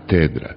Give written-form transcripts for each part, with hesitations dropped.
Katedra.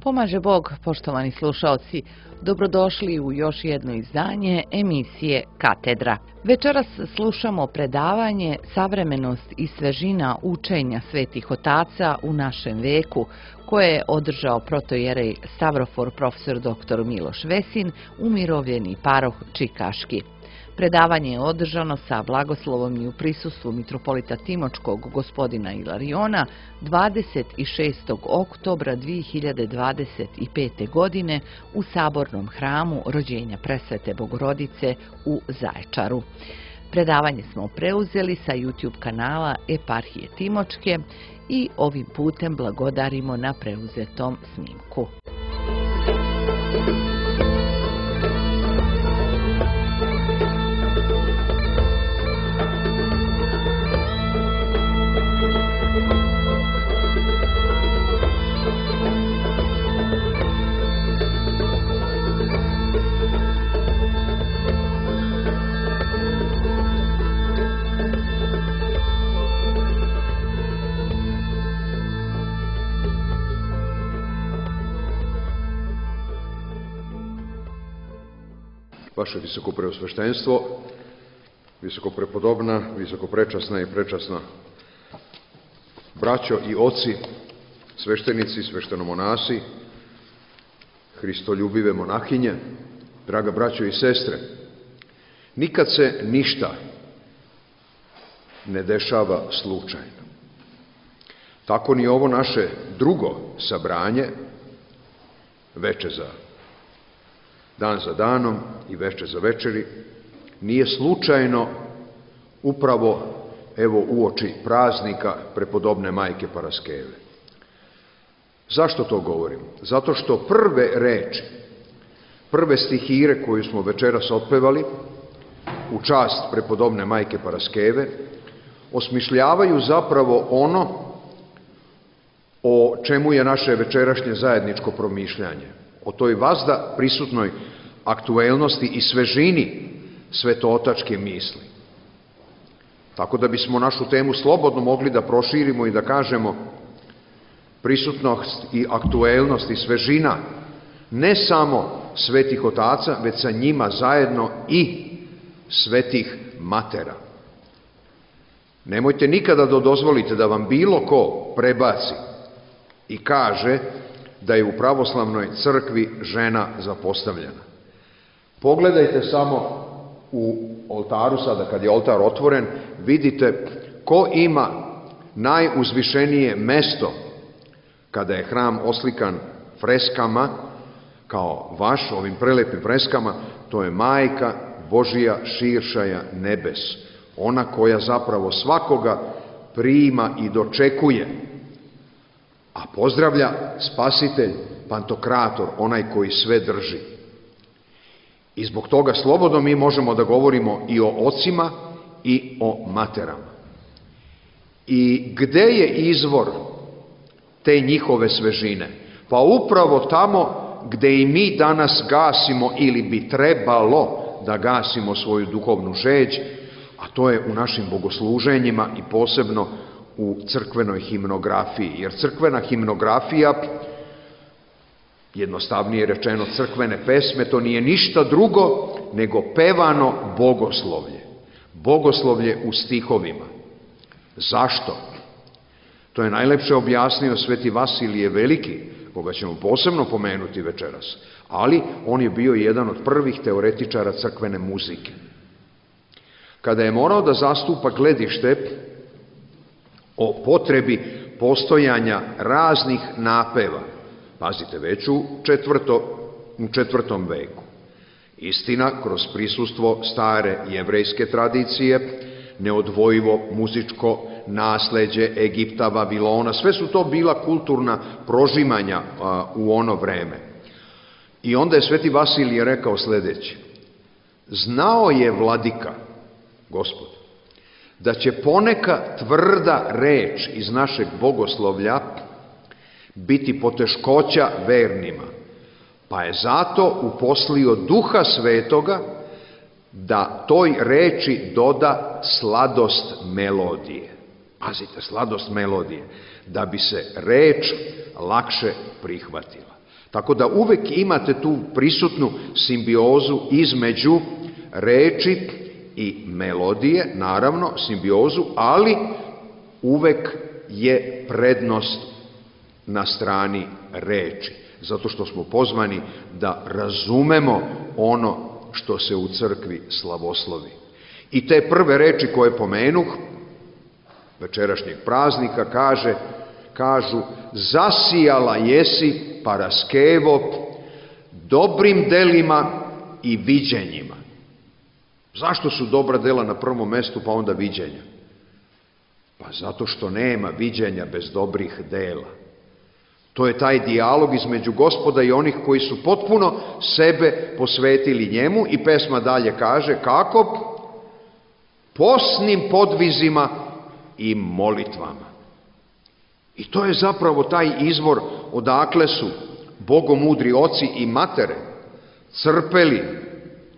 Pomaže Bog, poštovani slušaoci, dobrodošli u još jedno izdanje emisije Katedra. Večeras slušamo predavanje Savremenost i svežina učenja svetih otaca u našem veku, koje je održao protojerej Stavrofor profesor dr. Miloš Vesin, umirovljeni paroh Čikaški. Predavanje je održano sa blagoslovom i u prisustvu mitropolita Timočkog gospodina Ilariona 26. oktobra 2025. godine u Sabornom hramu Rođenja Presvete Bogorodice u Zaječaru. Predavanje smo preuzeli sa YouTube kanala Eparhije Timočke i ovim putem blagodarimo na preuzetom snimku. Vaše visokopreosveštenstvo, visokoprepodobna, visokoprečasna i prečasna braćo i oci, sveštenici, sveštenomonasi, hristoljubive monahinje, draga braćo i sestre, nikad se ništa ne dešava slučajno. Tako ni ovo naše drugo sabranje, veče za dan za danom i veče za večeri, nije slučajno upravo evo uoči praznika prepodobne majke Paraskeve. Zašto to govorim? Zato što prve reči, prve stihire koju smo večeras otpevali u čast prepodobne majke Paraskeve, osmišljavaju zapravo ono o čemu je naše večerašnje zajedničko promišljanje, o toj vazda prisutnoj aktuelnosti i svežini svetootačke misli. Tako da bismo našu temu slobodno mogli da proširimo i da kažemo prisutnost i aktuelnost i svežina ne samo svetih otaca, već sa njima zajedno i svetih matera. Nemojte nikada da dozvolite da vam bilo ko prebaci i kaže da je u pravoslavnoj crkvi žena zapostavljena. Pogledajte samo u oltaru, sada kad je oltar otvoren, vidite ko ima najuzvišenije mesto kada je hram oslikan freskama, kao vaš, ovim prelepim freskama, to je Majka Božija širšaja nebes, ona koja zapravo svakoga prima i dočekuje, a pozdravlja Spasitelj, Pantokrator, onaj koji sve drži. I zbog toga slobodno mi možemo da govorimo i o ocima i o materama. I gde je izvor te njihove svežine? Pa upravo tamo gde i mi danas gasimo ili bi trebalo da gasimo svoju duhovnu žeđ, a to je u našim bogosluženjima i posebno u crkvenoj himnografiji. Jer crkvena himnografija, jednostavnije rečeno crkvene pesme, to nije ništa drugo nego pevano bogoslovlje. Bogoslovlje u stihovima. Zašto? To je najlepše objasnio sveti Vasilije Veliki, koga ćemo posebno pomenuti večeras, ali on je bio jedan od prvih teoretičara crkvene muzike. Kada je morao da zastupa gledište o potrebi postojanja raznih napeva, pazite, već u četvrtom veku. Istina, kroz prisustvo stare jevrejske tradicije, neodvojivo muzičko nasleđe Egipta, Vavilona, sve su to bila kulturna prožimanja u ono vreme. I onda je sveti Vasilije rekao sledeće: znao je vladika, Gospod, da će poneka tvrda reč iz našeg bogoslovlja biti poteškoća vernima, pa je zato uposlio Duha Svetoga da toj reči doda sladost melodije. Pazite, sladost melodije, da bi se reč lakše prihvatila. Tako da uvek imate tu prisutnu simbiozu između reči i melodije, naravno simbiozu, ali uvek je prednost na strani reči, zato što smo pozvani da razumemo ono što se u crkvi slavoslovi. I te prve reči koje pomenuh, večerašnjeg praznika, kažu zasijala jesi paraskevo dobrim delima i viđenjima. Zašto su dobra dela na prvom mestu pa onda viđenja? Pa zato što nema viđenja bez dobrih dela. To je taj dijalog između Gospoda i onih koji su potpuno sebe posvetili njemu, i pesma dalje kaže kako? Posnim podvizima i molitvama. I to je zapravo taj izvor odakle su bogomudri oci i matere crpeli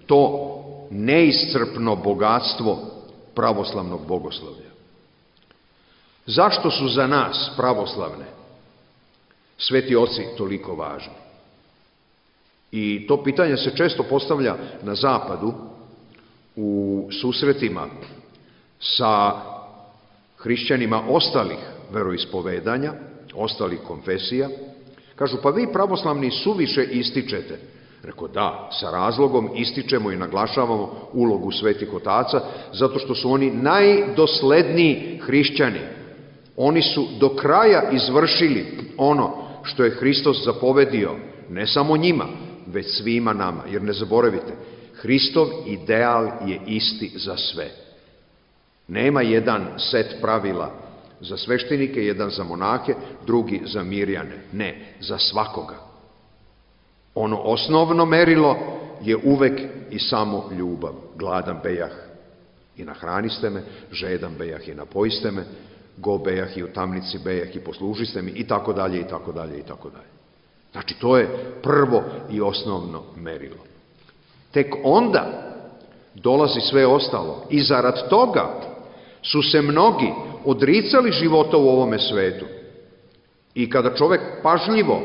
to neiscrpno bogatstvo pravoslavnog bogoslovlja. Zašto su za nas pravoslavne sveti oci toliko važni? I to pitanje se često postavlja na zapadu u susretima sa hrišćanima ostalih veroispovedanja, ostalih konfesija. Kažu, pa vi pravoslavni suviše ističete. Rekao, da, sa razlogom ističemo i naglašavamo ulogu svetih otaca, zato što su oni najdosledniji hrišćani. Oni su do kraja izvršili ono što je Hristos zapovedio, ne samo njima, već svima nama. Jer ne zaboravite, Hristov ideal je isti za sve. Nema jedan set pravila za sveštenike, jedan za monahe, drugi za mirjane. Ne, za svakoga. Ono osnovno merilo je uvek i samo ljubav. Gladan bejah i nahraniste me, žedan bejah i napojiste me, go bejah i u tamnici bejah i poslužiste mi, i tako dalje, i tako dalje, i tako dalje. Znači, to je prvo i osnovno merilo. Tek onda dolazi sve ostalo. I zarad toga su se mnogi odricali života u ovome svetu. I kada čovek pažljivo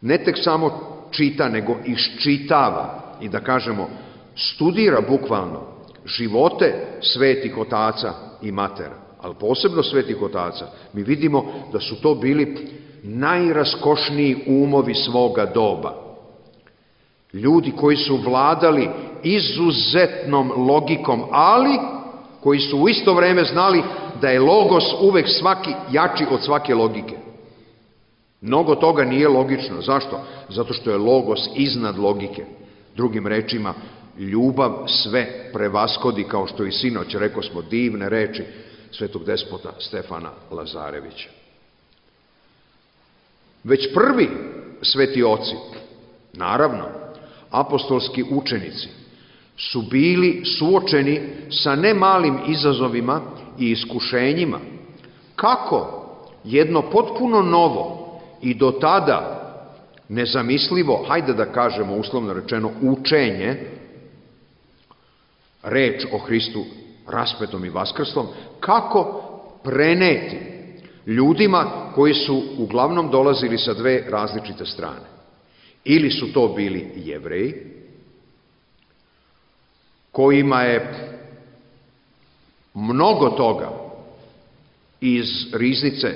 ne tek samo čita, nego iščitava i, da kažemo, studira bukvalno živote svetih otaca i matera, ali posebno svetih otaca, mi vidimo da su to bili najraskošniji umovi svoga doba. Ljudi koji su vladali izuzetnom logikom, ali koji su u isto vreme znali da je logos uvek jači od svake logike. Mnogo toga nije logično. Zašto? Zato što je logos iznad logike. Drugim rečima, ljubav sve prevaskodi, kao što i sinoć rekao smo divne reči svetog despota Stefana Lazarevića. Već prvi sveti oci, naravno, apostolski učenici, su bili suočeni sa nemalim izazovima i iskušenjima. Kako jedno potpuno novo i do tada nezamislivo, hajde da kažemo uslovno rečeno, učenje, reč o Hristu raspetom i vaskrslom, kako preneti ljudima koji su uglavnom dolazili sa dve različite strane. Ili su to bili Jevreji, kojima je mnogo toga iz riznice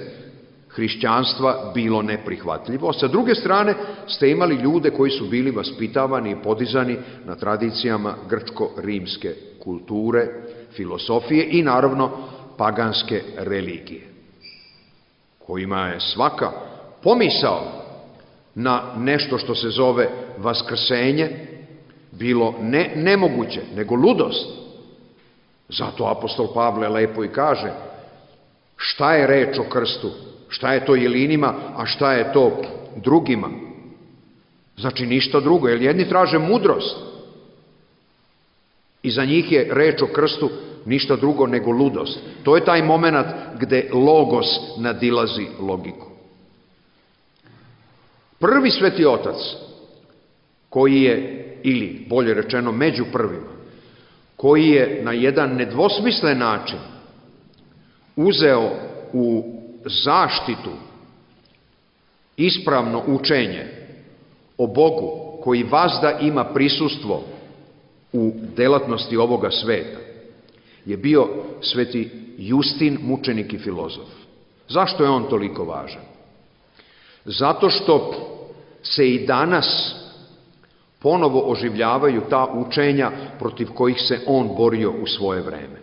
hrišćanstva bilo neprihvatljivo. Sa druge strane ste imali ljude koji su bili vaspitavani i podizani na tradicijama grčko-rimske kulture, filosofije i naravno paganske religije, kojima je svaka pomisao na nešto što se zove vaskrsenje bilo ne nemoguće, nego ludost. Zato apostol Pavle lepo i kaže šta je reč o krstu, šta je to jelinima, a šta je to drugima. Znači ništa drugo, jer jedni traže mudrost, I za njih je reč o krstu ništa drugo nego ludost. To je taj moment gde logos nadilazi logiku. Prvi Sveti Otac, koji je, ili bolje rečeno među prvima, koji je na jedan nedvosmislen način uzeo u zaštitu ispravno učenje o Bogu koji vazda ima prisustvo u delatnosti ovoga sveta, je bio Sveti Justin, mučenik i filozof. Zašto je on toliko važan? Zato što se i danas ponovo oživljavaju ta učenja protiv kojih se on borio u svoje vreme.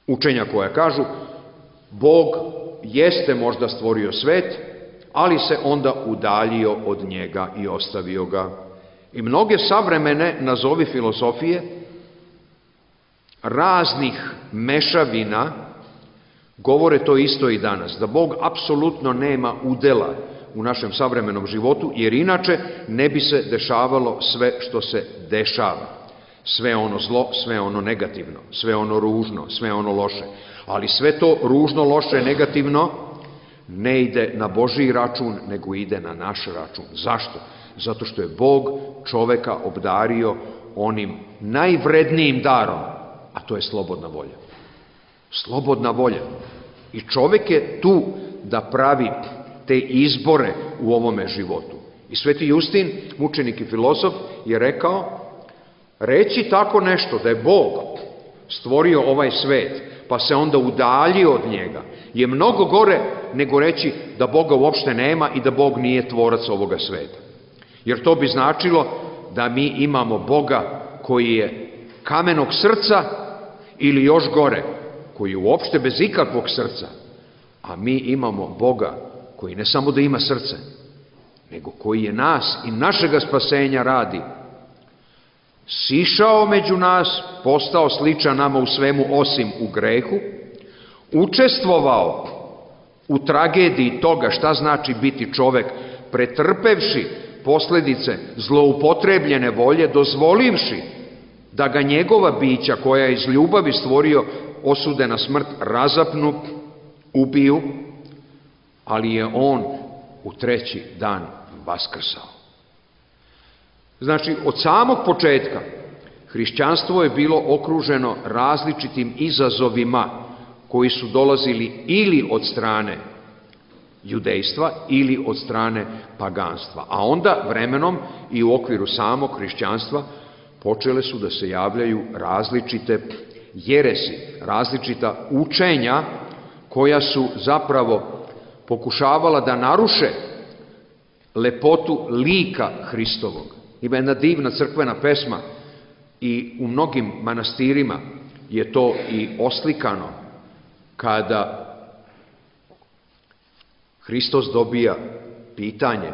Učenja koja kažu, Bog jeste možda stvorio svet, ali se onda udaljio od njega i ostavio ga. I mnoge savremene, nazovi filozofije, raznih mešavina, govore to isto i danas, da Bog apsolutno nema udela u našem savremenom životu, jer inače ne bi se dešavalo sve što se dešava. Sve ono zlo, sve ono negativno, sve ono ružno, sve ono loše. Ali sve to ružno, loše, negativno ne ide na Božji račun, nego ide na naš račun. Zašto? Zato što je Bog čoveka obdario onim najvrednijim darom, a to je slobodna volja. Slobodna volja. I čovek je tu da pravi te izbore u ovome životu. I Sveti Justin, mučenik i filozof, je rekao, reći tako nešto, da je Bog stvorio ovaj svet, pa se onda udaljio od njega, je mnogo gore nego reći da Boga uopšte nema i da Bog nije tvorac ovoga sveta. Jer to bi značilo da mi imamo Boga koji je kamenog srca ili još gore, koji je uopšte bez ikakvog srca, a mi imamo Boga koji ne samo da ima srce, nego koji je nas i našega spasenja radi, sišao među nas, postao sličan nama u svemu osim u grehu, učestvovao u tragediji toga šta znači biti čovek, pretrpevši posledice zloupotrebljene volje, dozvolivši da ga njegova bića, koja je iz ljubavi stvorio, osude na smrt, razapnu, ubiju, ali je on u treći dan vaskrsao. Znači, od samog početka hrišćanstvo je bilo okruženo različitim izazovima koji su dolazili ili od strane judejstva ili od strane paganstva. A onda vremenom i u okviru samog hrišćanstva počele su da se javljaju različite jeresi, različita učenja koja su zapravo pokušavala da naruše lepotu lika Hristovog. Ima jedna divna crkvena pesma i u mnogim manastirima je to i oslikano, kada Hristos dobija pitanje,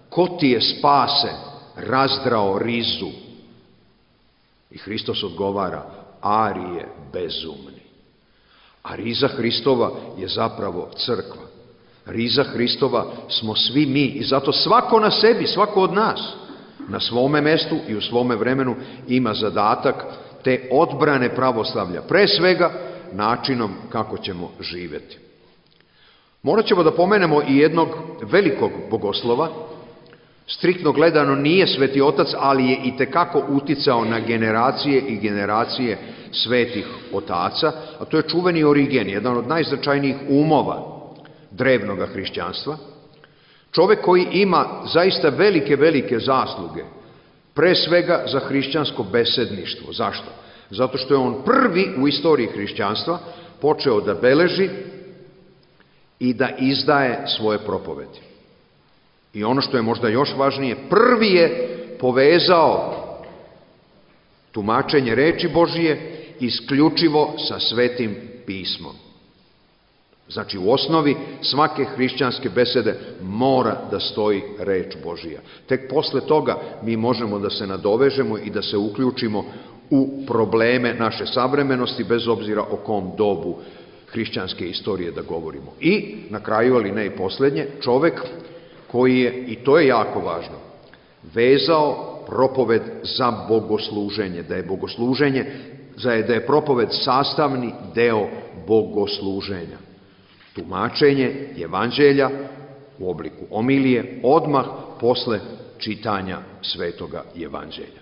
ko ti je spase razdrao rizu? I Hristos odgovara, Arije bezumni. A riza Hristova je zapravo crkva. Riza Hristova smo svi mi i zato svako na sebi, svako od nas, na svome mestu i u svome vremenu ima zadatak te odbrane pravoslavlja, pre svega načinom kako ćemo živjeti. Morat ćemo da pomenemo i jednog velikog bogoslova, striktno gledano nije Sveti Otac, ali je itekako uticao na generacije i generacije svetih otaca, a to je čuveni Origen, jedan od najznačajnijih umova drevnog hrišćanstva, čovek koji ima zaista velike zasluge, pre svega za hrišćansko besedništvo. Zašto? Zato što je on prvi u istoriji hrišćanstva počeo da beleži i da izdaje svoje propovedi. I ono što je možda još važnije, prvi je povezao tumačenje reči Božije isključivo sa Svetim pismom. Znači, u osnovi svake hrišćanske besede mora da stoji reč Božija. Tek posle toga mi možemo da se nadovežemo i da se uključimo u probleme naše savremenosti, bez obzira o kom dobu hrišćanske istorije da govorimo. I, na kraju, ali ne i poslednje, čovek koji je, i to je jako važno, vezao propoved za bogosluženje, da je propoved sastavni deo bogosluženja. Tumačenje evanđelja u obliku omilije odmah posle čitanja svetoga evanđelja.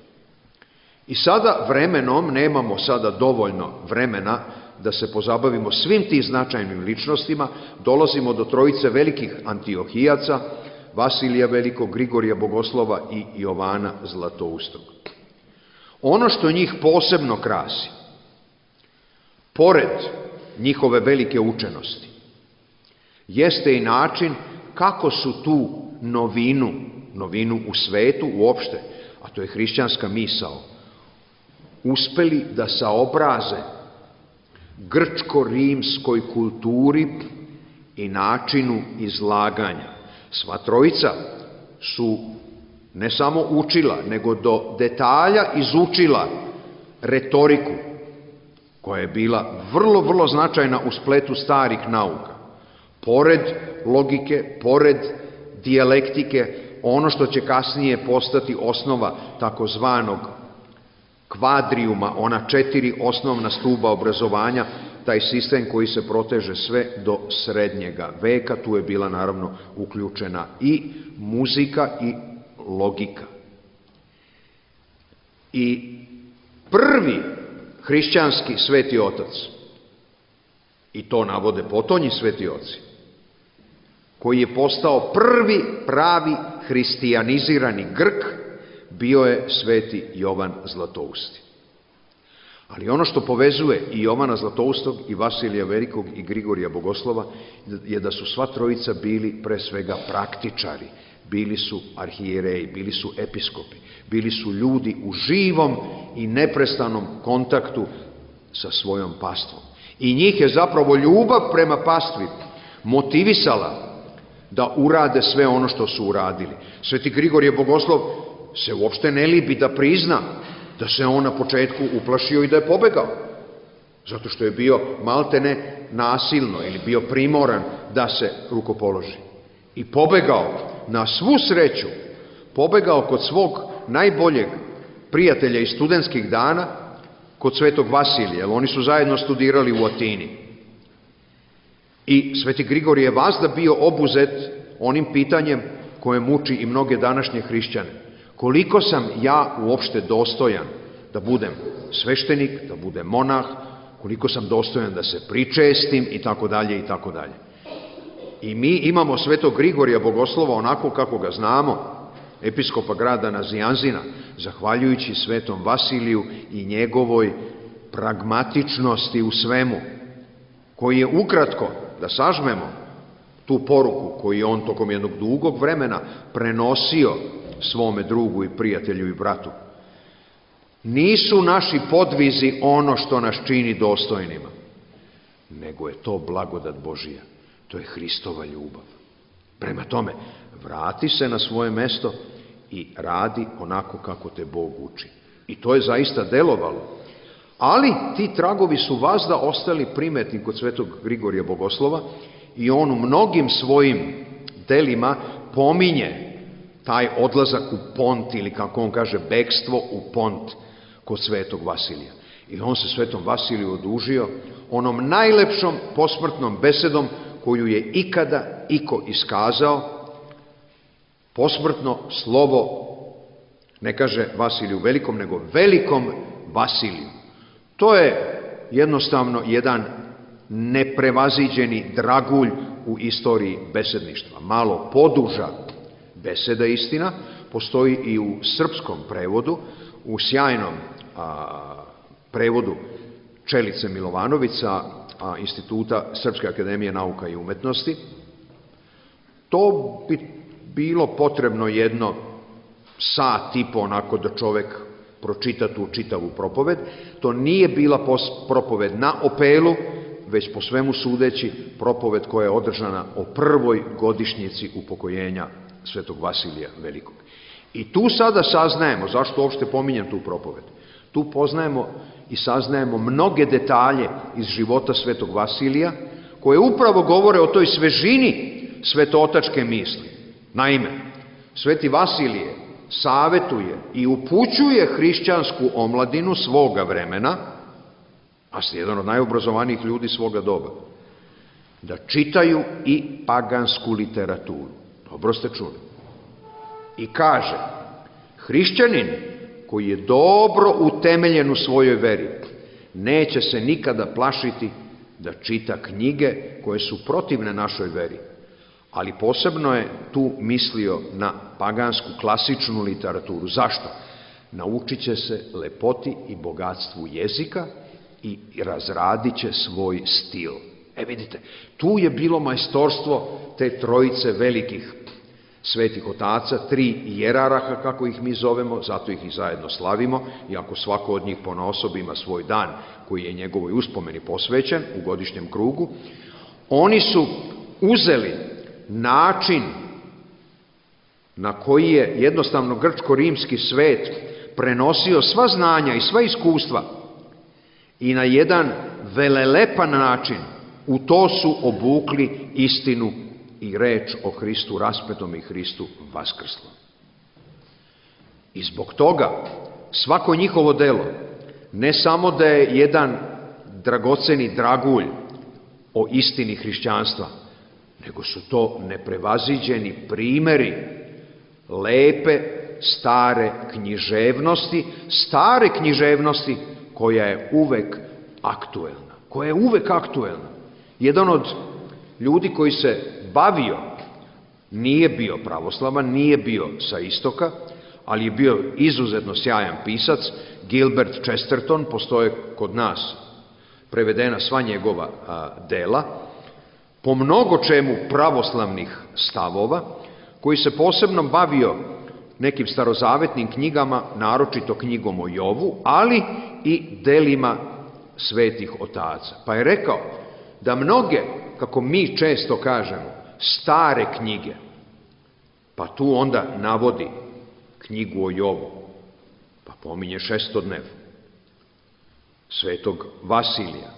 I sada vremenom, nemamo sada dovoljno vremena da se pozabavimo svim tim značajnim ličnostima, dolazimo do trojice velikih Antiohijaca, Vasilija Velikog, Grigorija Bogoslova i Jovana Zlatoustog. Ono što njih posebno krasi, pored njihove velike učenosti, jeste i način kako su tu novinu u svetu uopšte, a to je hrišćanska misao, uspeli da saobraze grčko-rimskoj kulturi i načinu izlaganja. Sva trojica su ne samo učila, nego do detalja izučila retoriku, koja je bila vrlo, vrlo značajna u spletu starih nauka. Pored logike, pored dijalektike, ono što će kasnije postati osnova takozvanog kvadrijuma, ona 4 osnovna stuba obrazovanja, taj sistem koji se proteže sve do srednjega veka, tu je bila naravno uključena i muzika i logika. I prvi hrišćanski sveti otac, i to navode potonji sveti oci, koji je postao prvi pravi hristijanizirani Grk, bio je sveti Jovan Zlatousti. Ali ono što povezuje i Jovana Zlatoustog, i Vasilija Velikog, i Grigorija Bogoslova, je da su sva trojica bili pre svega praktičari, bili su arhijereji, bili su episkopi, bili su ljudi u živom i neprestanom kontaktu sa svojom pastvom. I njih je zapravo ljubav prema pastvi motivisala da urade sve ono što su uradili. Sveti Grigorije Bogoslov se uopšte ne libi da prizna da se on na početku uplašio i da je pobegao, zato što je bio maltene nasilno ili bio primoran da se rukopoloži. I pobegao, na svu sreću, pobegao kod svog najboljeg prijatelja iz studentskih dana, kod svetog Vasilija, jer oni su zajedno studirali u Atini. I sveti Grigorije je vazda bio obuzet onim pitanjem koje muči i mnoge današnje hrišćane. Koliko sam ja uopšte dostojan da budem sveštenik, da budem monah, koliko sam dostojan da se pričestim i tako dalje i tako dalje. I mi imamo svetog Grigorija Bogoslova onako kako ga znamo, episkopa grada Nazianzina, zahvaljujući svetom Vasiliju i njegovoj pragmatičnosti u svemu, koji je ukratko, da sažmemo tu poruku koju je on tokom jednog dugog vremena prenosio svome drugu i prijatelju i bratu. Nisu naši podvizi ono što nas čini dostojnima, nego je to blagodat Božija, to je Hristova ljubav. Prema tome, vrati se na svoje mesto i radi onako kako te Bog uči. I to je zaista delovalo. Ali ti tragovi su vazda ostali primetni kod svetog Grigorija Bogoslova i on u mnogim svojim delima pominje taj odlazak u Pont, ili kako on kaže, bekstvo u Pont kod svetog Vasilija. I on se svetom Vasiliju odužio onom najlepšom posmrtnom besedom koju je ikada iko iskazao, posmrtno slovo, ne kaže Vasiliju Velikom, nego Velikom Vasiliju. To je jednostavno jedan neprevaziđeni dragulj u istoriji besedništva. Malo poduža beseda, istina, postoji i u srpskom prevodu, u sjajnom prevodu Čelice Milovanovića, Instituta Srpske akademije nauka i umetnosti. To bi bilo potrebno jedno sat i po onako da čovek pročita tu čitavu propoved. To nije bila propoved na opelu, već po svemu sudeći propoved koja je održana o prvoj godišnjici upokojenja svetog Vasilija Velikog. I tu sada saznajemo, zašto uopšte pominjem tu propoved, tu poznajemo i saznajemo mnoge detalje iz života svetog Vasilija, koje upravo govore o toj svežini svetootačke misli. Naime, sveti Vasilije savetuje i upućuje hrišćansku omladinu svoga vremena, a ste jedan od najobrazovanijih ljudi svoga doba, da čitaju i pagansku literaturu. Dobro ste čuli. I kaže, hrišćanin koji je dobro utemeljen u svojoj veri, neće se nikada plašiti da čita knjige koje su protivne našoj veri. Ali posebno je tu mislio na pagansku klasičnu literaturu. Zašto? Naučit će se lepoti i bogatstvu jezika i razradit će svoj stil. Vidite, tu je bilo majstorstvo te trojice velikih svetih otaca, 3 jeraraha, kako ih mi zovemo, zato ih i zajedno slavimo, iako svako od njih ponaosob ima svoj dan koji je njegovoj uspomeni posvećen u godišnjem krugu. Oni su uzeli način na koji je jednostavno grčko-rimski svet prenosio sva znanja i sva iskustva i na jedan velelepan način u to su obukli istinu i reč o Hristu raspetom i Hristu vaskrslom. I zbog toga svako njihovo delo ne samo da je jedan dragoceni dragulj o istini hrišćanstva, nego su to neprevaziđeni primeri lepe stare književnosti koja je uvek aktuelna. Jedan od ljudi koji se bavio, nije bio pravoslavan, nije bio sa istoka, ali je bio izuzetno sjajan pisac, Gilbert Chesterton, postoje kod nas prevedena sva njegova dela, po mnogo čemu pravoslavnih stavova, koji se posebno bavio nekim starozavetnim knjigama, naročito knjigom o Jovu, ali i delima svetih otaca. Pa je rekao da mnoge, kako mi često kažemo, stare knjige, pa tu onda navodi knjigu o Jovu, pa pominje Šestodnev, svetog Vasilija,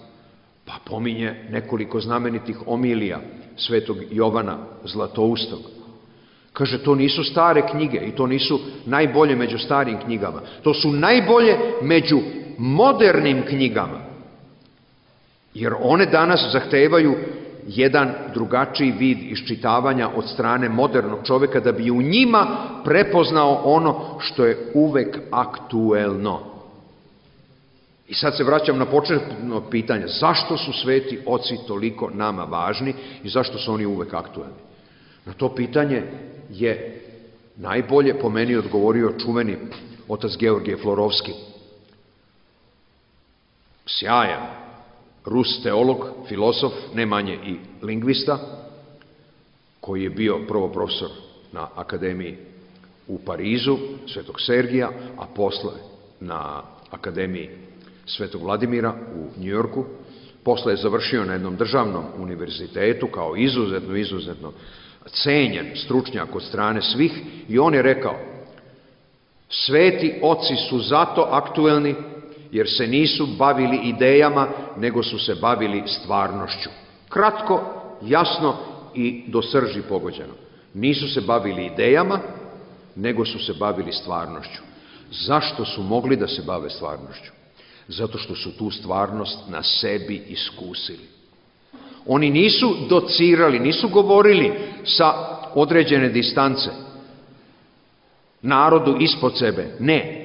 pa pominje nekoliko znamenitih omilija svetog Jovana Zlatoustog. Kaže, to nisu stare knjige i to nisu najbolje među starim knjigama. To su najbolje među modernim knjigama. Jer one danas zahtevaju jedan drugačiji vid iščitavanja od strane modernog čoveka da bi u njima prepoznao ono što je uvek aktuelno. I sad se vraćam na početno pitanje. Zašto su sveti oci toliko nama važni i zašto su oni uvek aktuelni? Na to pitanje je najbolje po meni odgovorio čuveni otac Georgije Florovski. Sjajan Rus teolog, filozof, ne manje i lingvista, koji je bio prvo profesor na akademiji u Parizu, Svetog Sergija, a posle na akademiji Svetog Vladimira u Njujorku. Posle je završio na jednom državnom univerzitetu kao izuzetno cenjen stručnjak od strane svih i on je rekao: sveti oci su zato aktuelni jer se nisu bavili idejama, nego su se bavili stvarnošću. Kratko, jasno i do srži pogođeno. Nisu se bavili idejama, nego su se bavili stvarnošću. Zašto su mogli da se bave stvarnošću? Zato što su tu stvarnost na sebi iskusili. Oni nisu docirali, nisu govorili sa određene distance narodu ispod sebe. Ne.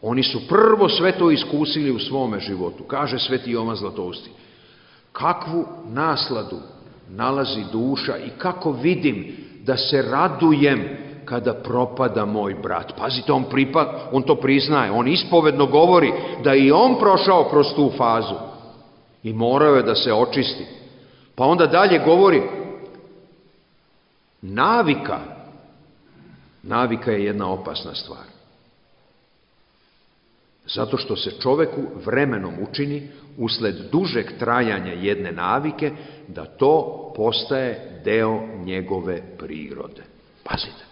Oni su prvo sve to iskusili u svome životu. Kaže sveti Jovan Zlatousti: kakvu nasladu nalazi duša i kako vidim da se radujem kada propada moj brat. Pazite, on to priznaje, on ispovedno govori da i on prošao kroz tu fazu i morao je da se očisti. Pa onda dalje govori: navika je jedna opasna stvar. Zato što se čoveku vremenom učini, usled dužeg trajanja jedne navike, da to postaje deo njegove prirode. Pazite,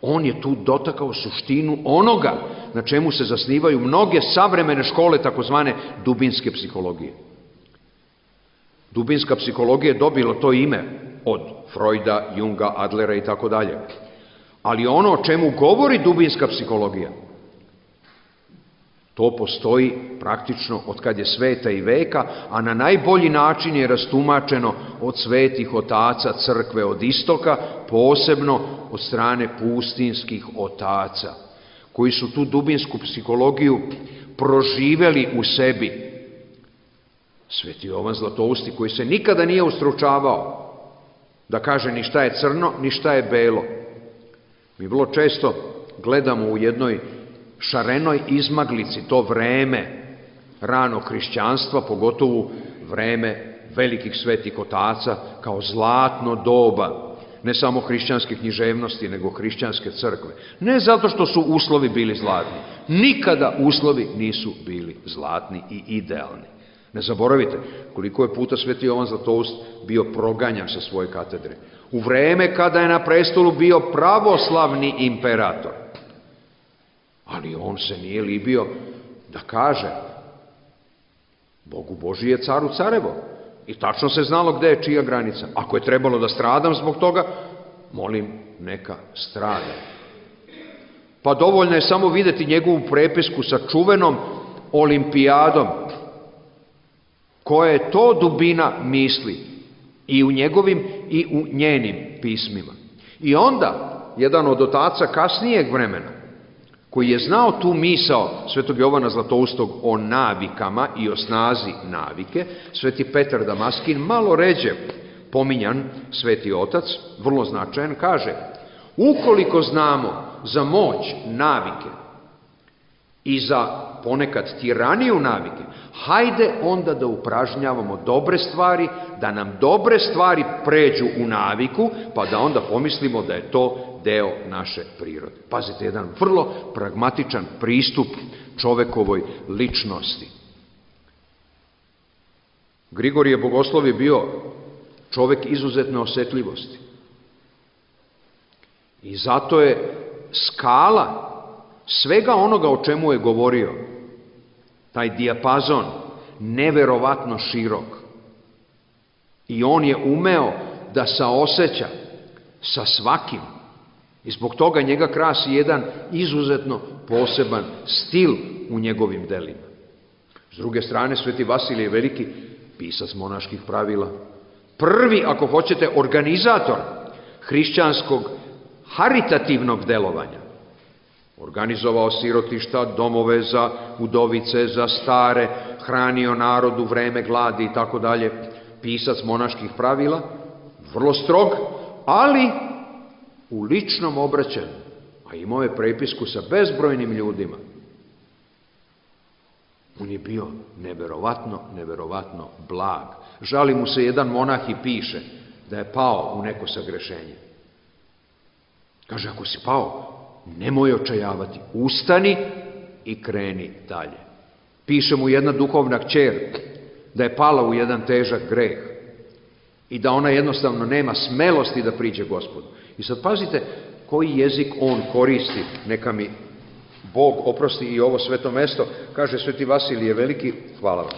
on je tu dotakao suštinu onoga na čemu se zasnivaju mnoge savremene škole takozvane dubinske psihologije. Dubinska psihologija je dobila to ime od Freuda, Junga, Adlera i tako dalje. Ali ono o čemu govori dubinska psihologija, to postoji praktično od kad je sveta i veka, a na najbolji način je rastumačeno od svetih otaca crkve od istoka, posebno od strane pustinskih otaca, koji su tu dubinsku psihologiju proživeli u sebi. Sveti Jovan Zlatousti, koji se nikada nije ustručavao da kaže ni šta je crno, ni šta je belo. Mi vrlo često gledamo u jednoj šarenoj izmaglici to vreme ranog hrišćanstva, pogotovo vreme velikih svetih otaca, kao zlatno doba, ne samo hrišćanske književnosti, nego hrišćanske crkve. Ne zato što su uslovi bili zlatni. Nikada uslovi nisu bili zlatni i idealni. Ne zaboravite koliko je puta sveti Jovan Zlatoust bio proganjan sa svoje katedre. U vreme kada je na prestolu bio pravoslavni imperator. Ali on se nije libio da kaže: Bogu Božji je caru carevo. I tačno se znalo gde je čija granica. Ako je trebalo da stradam zbog toga, molim, neka strada. Pa dovoljno je samo videti njegovu prepisku sa čuvenom olimpijadom. Koja je to dubina misli i u njegovim i u njenim pismima. I onda, jedan od otaca kasnijeg vremena, koji je znao tu misao svetog Jovana Zlatoustog o navikama i o snazi navike, sveti Petar Damaskin, malo ređe pominjan sveti otac, vrlo značajan, kaže: ukoliko znamo za moć navike i za ponekad tiraniju navike, hajde onda da upražnjavamo dobre stvari, da nam dobre stvari pređu u naviku, pa da onda pomislimo da je to deo naše prirode. Pazite, jedan vrlo pragmatičan pristup čovekovoj ličnosti. Grigorije Bogoslov je bio čovek izuzetne osetljivosti. I zato je skala svega onoga o čemu je govorio, taj dijapazon, neverovatno širok. I on je umeo da saoseća sa svakim. I zbog toga njega krasi jedan izuzetno poseban stil u njegovim delima. S druge strane, sveti Vasilije Veliki, pisac monaških pravila, prvi, ako hoćete, organizator hrišćanskog haritativnog delovanja. Organizovao sirotišta, domove za udovice, za stare, hranio narod u vreme gladi i tako dalje. Pisac monaških pravila, vrlo strog, ali u ličnom obraćanju, a imao je prepisku sa bezbrojnim ljudima. On je bio neverovatno blag. Žali mu se jedan monah i piše da je pao u neko sagrešenje. Kaže: ako si pao, nemoj očajavati, ustani i kreni dalje. Piše mu jedna duhovna kćer da je pala u jedan težak greh i da ona jednostavno nema smelosti da priđe Gospodu. I sad pazite koji jezik on koristi, neka mi Bog oprosti i ovo sveto mesto. Kaže sveti Vasilije Veliki, hvala vam.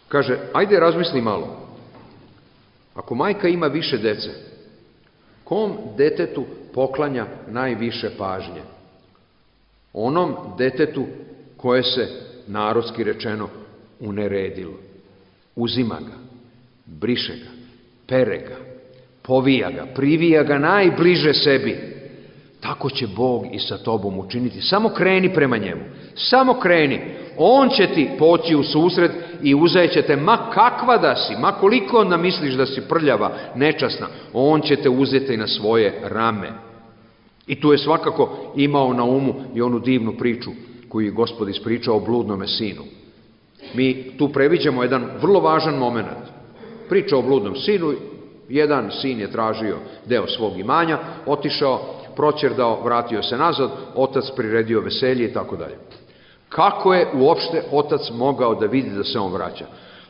Kaže: ajde razmisli malo, ako majka ima više dece, kom detetu poklanja najviše pažnje? Onom detetu koje se, narodski rečeno, uneredilo. Uzima ga, briše ga, pere ga, povija ga, privija ga najbliže sebi. Tako će Bog i sa tobom učiniti. Samo kreni prema njemu. Samo kreni. On će ti poći u susret i uzeće te, ma kakva da si, ma koliko onda misliš da si prljava, nečasna, on će te uzeti na svoje rame. I tu je svakako imao na umu i onu divnu priču koju je Gospod ispričao o bludnome sinu. Mi tu previđamo jedan vrlo važan moment. Priča o bludnom sinu, jedan sin je tražio deo svog imanja, otišao, proćerdao, vratio se nazad, otac priredio veselje i tako dalje. Kako je uopšte otac mogao da vidi da se on vraća?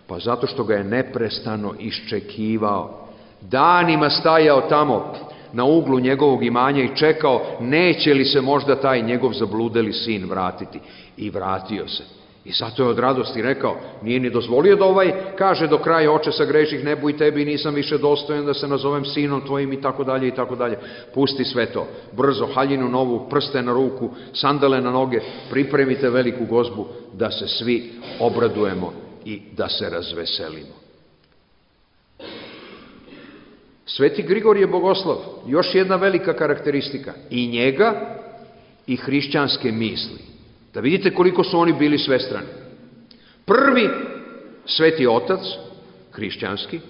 Pa zato što ga je neprestano iščekivao. Danima stajao tamo na uglu njegovog imanja i čekao neće li se možda taj njegov zabludeli sin vratiti. I vratio se. I zato je od radosti rekao, nije ni dozvolio da ovaj kaže do kraja, oče sagreših nebu i tebi, nisam više dostojan da se nazovem sinom tvojim i tako dalje i tako dalje. Pusti sve to, brzo, haljinu novu, prste na ruku, sandale na noge, pripremite veliku gozbu da se svi obradujemo i da se razveselimo. Sveti Grigorije Bogoslav, još jedna velika karakteristika, i njega i hrišćanske misli. Da vidite koliko su oni bili svestrani. Prvi sveti otac, hrišćanski,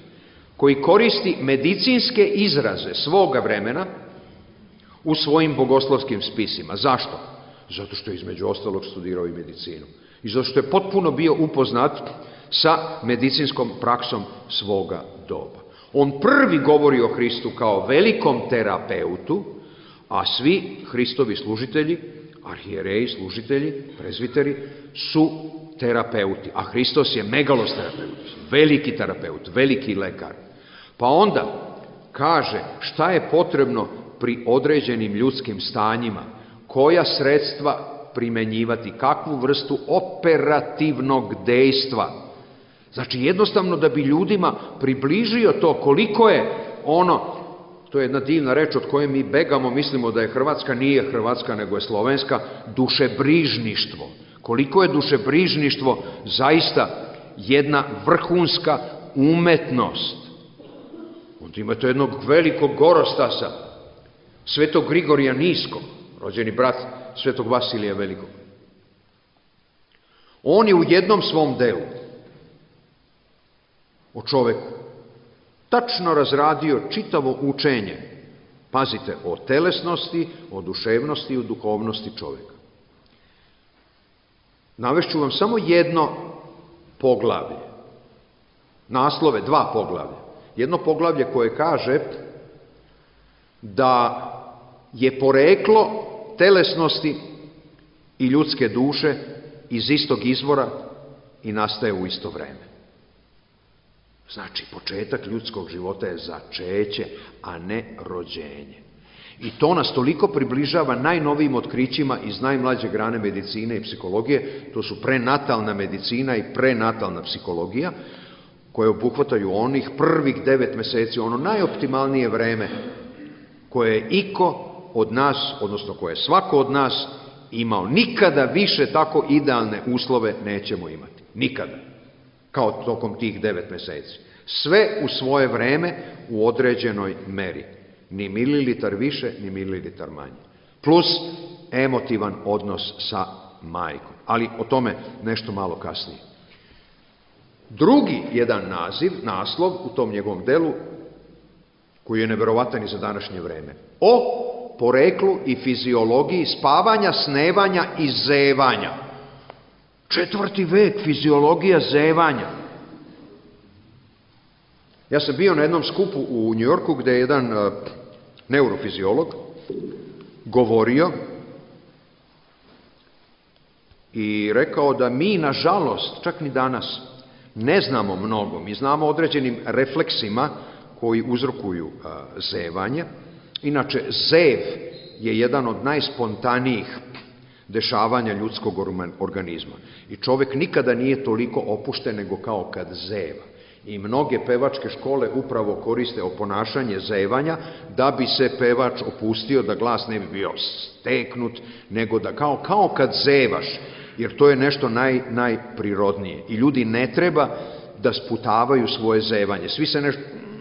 koji koristi medicinske izraze svoga vremena u svojim bogoslovskim spisima. Zašto? Zato što je između ostalog studirao i medicinu. I zato što je potpuno bio upoznat sa medicinskom praksom svoga doba. On prvi govori o Hristu kao velikom terapeutu, a svi Hristovi služitelji, arhijereji, služitelji, prezviteri, su terapeuti. A Hristos je megalos terapeut, veliki terapeut, veliki lekar. Pa onda kaže šta je potrebno pri određenim ljudskim stanjima, koja sredstva primenjivati, kakvu vrstu operativnog dejstva. Znači jednostavno da bi ljudima približio to koliko je ono, to je jedna divna reč od koje mi begamo, mislimo da je hrvatska, nije hrvatska nego je slovenska, dušebrižništvo. Koliko je dušebrižništvo zaista jedna vrhunska umetnost. Onda imate jednog velikog gorostasa, svetog Grigorija Niskog, rođeni brat svetog Vasilija Velikog. On je u jednom svom delu o čoveku tačno razradio čitavo učenje, pazite, o telesnosti, o duševnosti i o duhovnosti čoveka. Navešću vam samo jedno poglavlje, naslove, dva poglavlja. Jedno poglavlje koje kaže da je poreklo telesnosti i ljudske duše iz istog izvora i nastaje u isto vreme. Znači, početak ljudskog života je začeće, a ne rođenje. I to nas toliko približava najnovijim otkrićima iz najmlađe grane medicine i psihologije, to su prenatalna medicina i prenatalna psihologija, koje obuhvataju onih prvih 9 meseci, ono najoptimalnije vreme koje je iko od nas, odnosno koje je svako od nas imao. Nikada više tako idealne uslove nećemo imati. Nikada. Kao tokom tih 9 meseci. Sve u svoje vreme u određenoj meri. Ni mililitar više, ni mililitar manje. Plus emotivan odnos sa majkom. Ali o tome nešto malo kasnije. Drugi jedan naslov u tom njegovom delu, koji je neverovatan i za današnje vreme. O poreklu i fiziologiji spavanja, snevanja i zevanja. 4. vek, fiziologija zevanja. Ja sam bio na jednom skupu u Njujorku gde je jedan neurofiziolog govorio i rekao da mi, nažalost, čak ni danas, ne znamo mnogo. Mi znamo određenim refleksima koji uzrokuju zevanje. Inače, zev je jedan od najspontanijih dešavanja ljudskog organizma. I čovek nikada nije toliko opušten nego kao kad zeva. I mnoge pevačke škole upravo koriste oponašanje zevanja da bi se pevač opustio, da glas ne bi bio steknut, nego da kao kad zevaš, jer to je nešto najprirodnije. I ljudi ne treba da sputavaju svoje zevanje. Svi se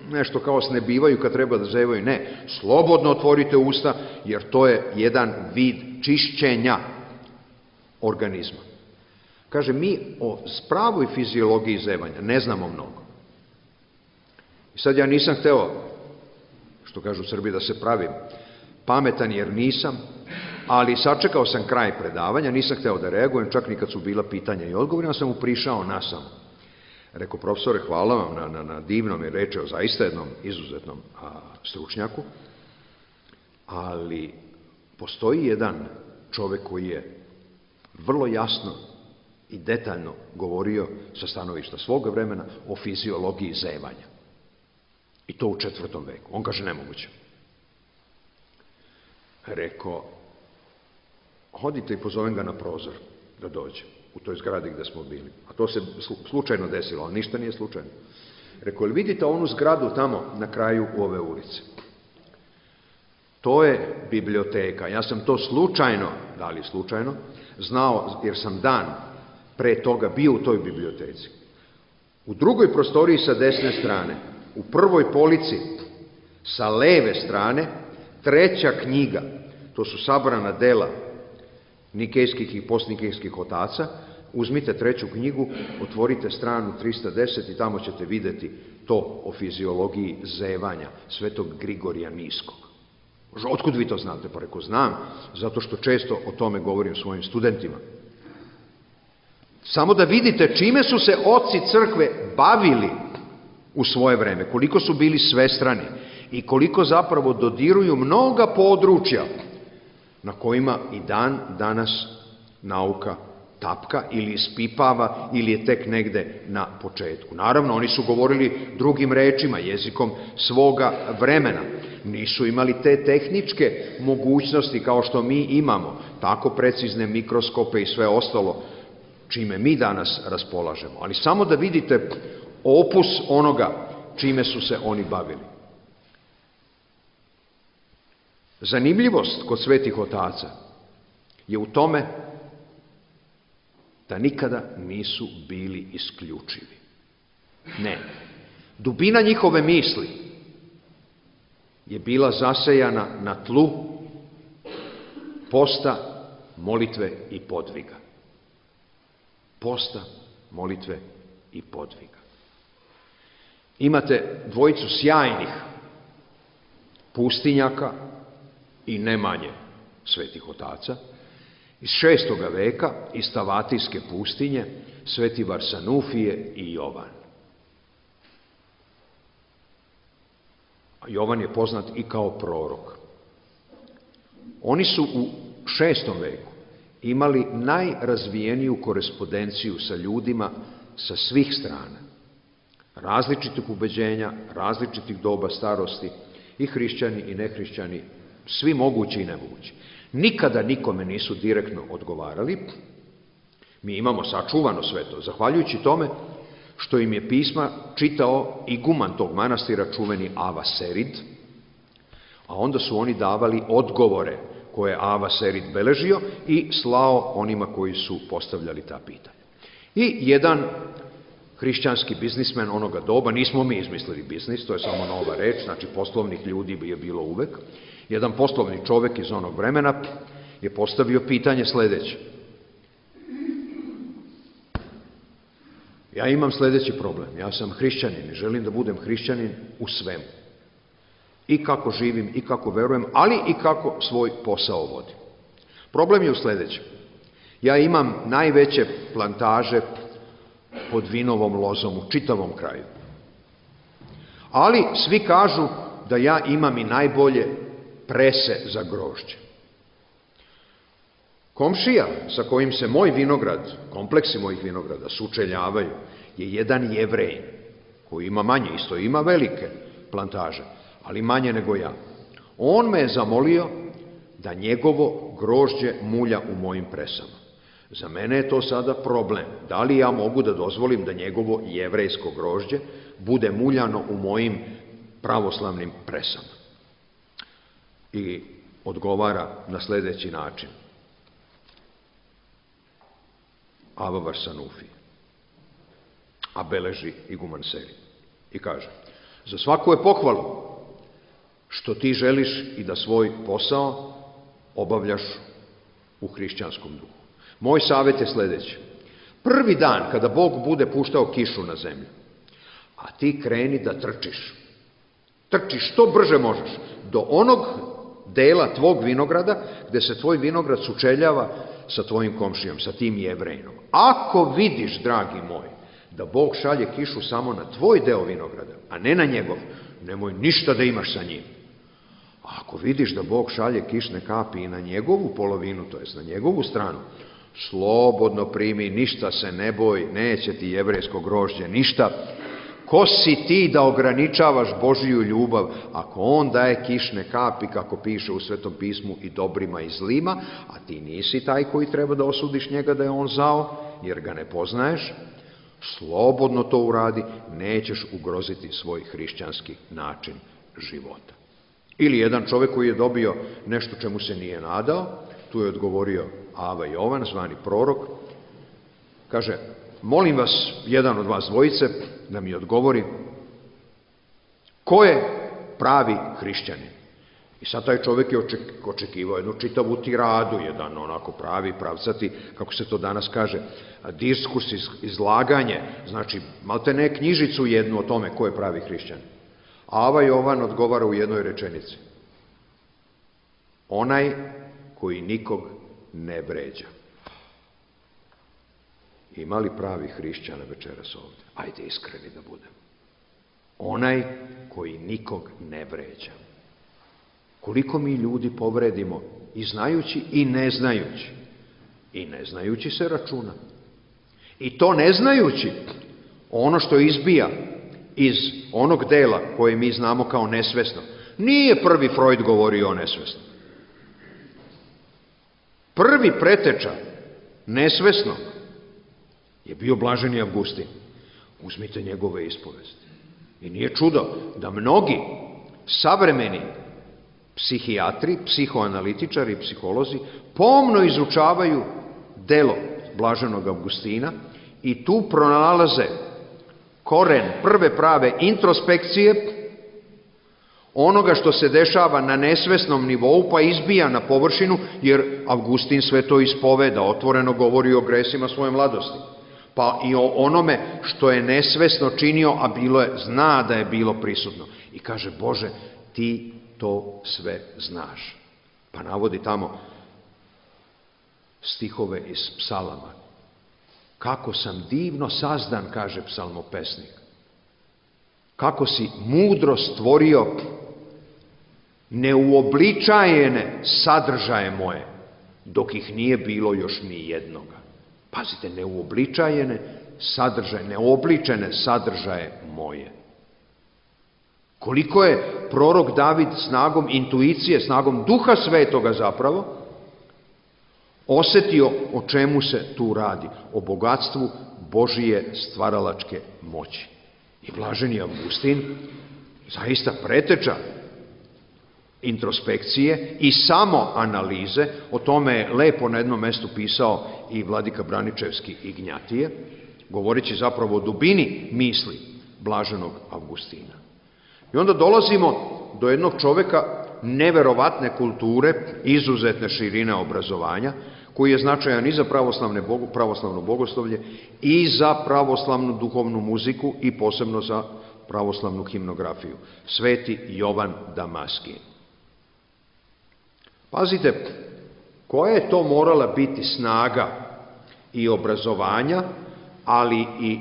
nešto kao snebivaju kad treba da zevaju. Ne, slobodno otvorite usta, jer to je jedan vid čišćenja organizma. Kaže, mi o pravoj fiziologiji zevanja ne znamo mnogo. I sad ja nisam hteo, što kažu u Srbiji, da se pravim pametan jer nisam, ali sačekao sam kraj predavanja, nisam hteo da reagujem, čak ni kad su bila pitanja i odgovori, ja sam mu prišao nasam. Rekao, profesore, hvala vam na divnom i reči o zaista jednom izuzetnom stručnjaku, ali postoji jedan čovek koji je vrlo jasno i detaljno govorio sa stanovišta svoga vremena o fiziologiji zevanja. I to u 4. veku. On kaže, nemoguće. Rekao, hodite i pozovem ga na prozor da dođe. u toj zgradi gde smo bili. A to se slučajno desilo, ali ništa nije slučajno. Rekao, jel vidite onu zgradu tamo na kraju ove ulice? To je biblioteka. Ja sam to slučajno, da li slučajno, znao jer sam dan pre toga bio u toj biblioteci. U drugoj prostoriji sa desne strane, u prvoj polici sa leve strane, treća knjiga, to su sabrana dela nikejskih i postnikejskih otaca. Uzmite treću knjigu, otvorite stranu 310 i tamo ćete videti to o fiziologiji zevanja svetog Grigorija Niskog. Otkud vi to znate? Pa reko, znam, zato što često o tome govorim svojim studentima. Samo da vidite čime su se oci crkve bavili u svoje vreme, koliko su bili svestrani i koliko zapravo dodiruju mnoga područja na kojima i dan danas nauka tapka ili ispipava ili je tek negde na početku. Naravno, oni su govorili drugim rečima, jezikom svoga vremena. Nisu imali te tehničke mogućnosti kao što mi imamo, tako precizne mikroskope i sve ostalo čime mi danas raspolažemo. Ali samo da vidite opus onoga čime su se oni bavili. Zanimljivost kod svetih otaca je u tome da nikada nisu bili isključivi. Ne. Dubina njihove misli je bila zasejana na tlu posta, molitve i podviga. Posta, molitve i podviga. Imate dvojicu sjajnih pustinjaka i ne manje svetih otaca iz 6. veka, iz Stavatijske pustinje, sveti Varsanufije i Jovan. Jovan je poznat i kao prorok. Oni su u 6. veku imali najrazvijeniju korespondenciju sa ljudima sa svih strana, različitih ubeđenja, različitih doba starosti, i hrišćani i nehrišćani, svi mogući i nemogući. Nikada nikome nisu direktno odgovarali. Mi imamo sačuvano sve to, zahvaljujući tome što im je pisma čitao iguman tog manastira, čuveni Ava Serid, a onda su oni davali odgovore koje je Ava Serid beležio i slao onima koji su postavljali ta pitanja. I jedan hrišćanski biznismen onoga doba, nismo mi izmislili biznis, to je samo nova reč, znači poslovnih ljudi je bilo uvek, jedan poslovni čovek iz onog vremena je postavio pitanje sledeće. Ja imam sledeći problem, ja sam hrišćanin i želim da budem hrišćanin u svemu. I kako živim, i kako verujem, ali i kako svoj posao vodim. Problem je u sledećem. Ja imam najveće plantaže pod vinovom lozom u čitavom kraju. Ali svi kažu da ja imam i najbolje prese za grožđe. Komšija sa kojim se moj vinograd, kompleksi mojih vinograda sučeljavaju, je jedan Jevrej, koji ima manje, isto ima velike plantaže, ali manje nego ja. On me je zamolio da njegovo grožđe mulja u mojim presama. Za mene je to sada problem. Da li ja mogu da dozvolim da njegovo jevrejsko grožđe bude muljano u mojim pravoslavnim presama? I odgovara na sledeći način. Ava Varsanufije, a beleži iguman Serid. I kaže, za svaku je pohvalu što ti želiš i da svoj posao obavljaš u hrišćanskom duhu. Moj savjet je sledeći. Prvi dan kada Bog bude puštao kišu na zemlju, a ti kreni da trčiš. Trčiš što brže možeš do onog dela tvog vinograda gde se tvoj vinograd sučeljava sa tvojim komšijom, sa tim Jevrejinom. Ako vidiš, dragi moj, da Bog šalje kišu samo na tvoj deo vinograda, a ne na njegov, nemoj ništa da imaš sa njim. A ako vidiš da Bog šalje kišne kapi i na njegovu polovinu, to jest na njegovu stranu, slobodno primi, ništa se ne boj, neće ti jevrejsko grožđe ništa. Ko si ti da ograničavaš Božiju ljubav, ako on daje kišne kapi, kako piše u Svetom pismu, i dobrima i zlima, a ti nisi taj koji treba da osudiš njega da je on zao, jer ga ne poznaješ, slobodno to uradi, nećeš ugroziti svoj hrišćanski način života. Ili jedan čovjek koji je dobio nešto čemu se nije nadao, tu je odgovorio Ava Jovan, zvani prorok, kaže, molim vas, jedan od vas dvojice, da mi odgovori ko je pravi hrišćanin. I sad taj čovjek je očekivao jednu čitavu tiradu, jedan onako pravi, pravcati, kako se to danas kaže, diskurs, izlaganje, znači maltene knjižicu jednu o tome ko je pravi hrišćanin. Ava Jovan odgovara u jednoj rečenici. Onaj koji nikog ne vređa. Ima li pravi hrišćana večeras ovdje? Ajde iskreni da budemo. Onaj koji nikog ne vređa. Koliko mi ljudi povredimo i znajući i ne znajući. I ne znajući se računa. I to ne znajući ono što izbija iz onog dela koje mi znamo kao nesvesno. Nije prvi Freud govorio o nesvesno. Prvi preteča nesvesnog je bio blaženi Avgustin. Uzmite njegove ispovesti. I nije čudo da mnogi savremeni psihijatri, psihoanalitičari, psiholozi pomno izučavaju delo blaženog Avgustina i tu pronalaze koren prve prave introspekcije onoga što se dešava na nesvesnom nivou pa izbija na površinu, jer Avgustin sve to ispoveda, otvoreno govori o gresima svoje mladosti. Pa i o onome što je nesvesno činio, a zna da je bilo prisutno. I kaže, Bože, ti to sve znaš. Pa navodi tamo stihove iz psalama. Kako sam divno sazdan, kaže psalmopesnik. Kako si mudro stvorio neuobličajene sadržaje moje, dok ih nije bilo još ni jednoga. Pazite, neuobličajene sadržaje, neobličene sadržaje moje. Koliko je prorok David snagom intuicije, snagom Duha Svetoga zapravo, osjetio o čemu se tu radi, o bogatstvu Božije stvaralačke moći. I blaženi Avgustin zaista preteča introspekcije i samo analize, o tome je lepo na jednom mestu pisao i vladika Braničevski Ignjatije, govoreći zapravo o dubini misli blaženog Avgustina. I onda dolazimo do jednog čovjeka neverovatne kulture, izuzetne širine obrazovanja, koji je značajan i za pravoslavno bogoslovlje i za pravoslavnu duhovnu muziku i posebno za pravoslavnu himnografiju. Sveti Jovan Damaskin. Pazite, koja je to morala biti snaga i obrazovanja, ali i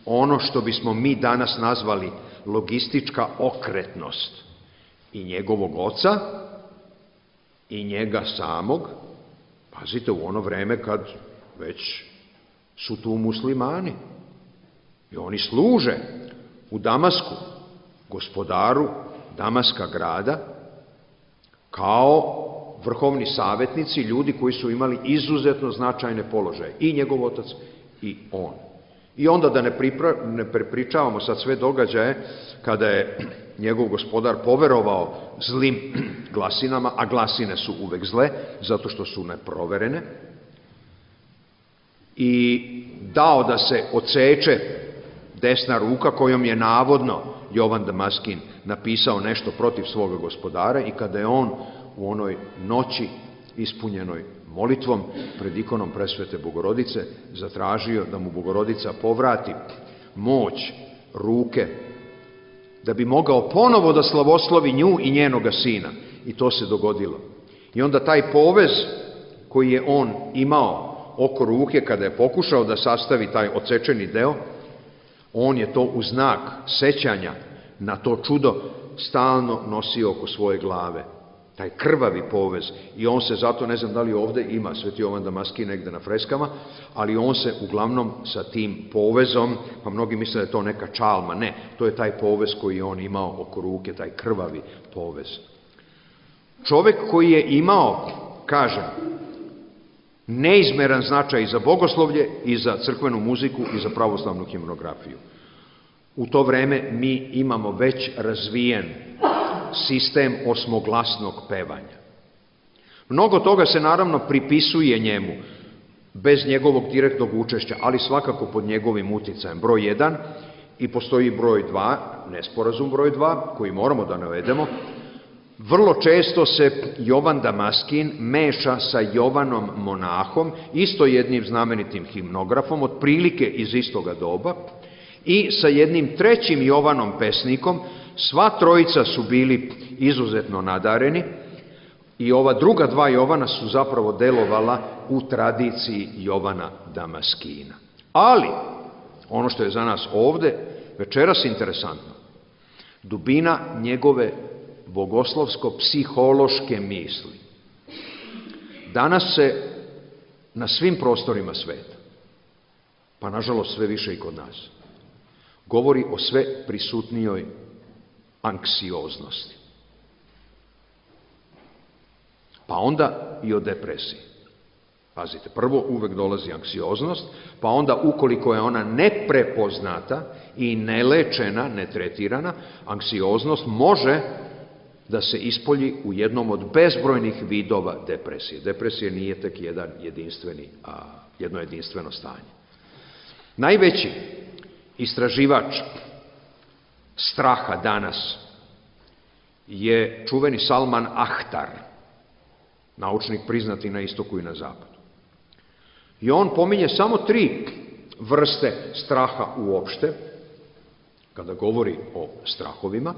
ono što bismo mi danas nazvali logistička okretnost i njegovog oca i njega samog. Pazite, u ono vreme kad već su tu muslimani i oni služe u Damasku, gospodaru Damaska grada, kao vrhovni savjetnici, ljudi koji su imali izuzetno značajne položaje, i njegov otac i on. I onda da ne prepričavamo sad sve događaje kada je njegov gospodar poverovao zlim glasinama, a glasine su uvek zle, zato što su neproverene, i dao da se odseče desna ruka kojom je navodno Jovan Damaskin napisao nešto protiv svoga gospodara, i kada je on u onoj noći ispunjenoj molitvom pred ikonom Presvete Bogorodice zatražio da mu Bogorodica povrati moć ruke, da bi mogao ponovo da slavoslovi nju i njenoga sina. I to se dogodilo. I onda taj povez koji je on imao oko ruke kada je pokušao da sastavi taj odsečeni deo, on je to u znak sećanja na to čudo stalno nosio oko svoje glave. Taj krvavi povez. I on se zato, ne znam da li ovdje ima Sveti Jovan Damaskin negde na freskama, ali on se uglavnom sa tim povezom, pa mnogi misle da je to neka čalma, ne, to je taj povez koji je on imao oko ruke, taj krvavi povez. Čovjek koji je imao, kažem, neizmeran značaj i za bogoslovlje, i za crkvenu muziku, i za pravoslavnu himnografiju. U to vreme mi imamo već razvijen sistem osmoglasnog pevanja. Mnogo toga se naravno pripisuje njemu, bez njegovog direktnog učešća, ali svakako pod njegovim uticajem. Broj 1, i postoji broj 2, nesporazum broj 2, koji moramo da navedemo. Vrlo često se Jovan Damaskin meša sa Jovanom Monahom, isto jednim znamenitim himnografom, otprilike iz istoga doba, i sa jednim trećim Jovanom pesnikom. Sva trojica su bili izuzetno nadareni i ova druga dva Jovana su zapravo delovala u tradiciji Jovana Damaskina. Ali, ono što je za nas ovde večeras interesantno, dubina njegove bogoslovsko-psihološke misli. Danas se na svim prostorima sveta, pa nažalost sve više i kod nas, govori o sve prisutnijoj anksioznosti. Pa onda i o depresiji. Pazite, prvo uvek dolazi anksioznost, pa onda ukoliko je ona neprepoznata i nelečena, netretirana, anksioznost može da se ispolji u jednom od bezbrojnih vidova depresije. Depresija nije tek jedno jedinstveno stanje. Najveći istraživač straha danas je čuveni Salman Ahtar, naučnik priznati na istoku i na zapadu. I on pominje samo 3 vrste straha uopšte, kada govori o strahovima.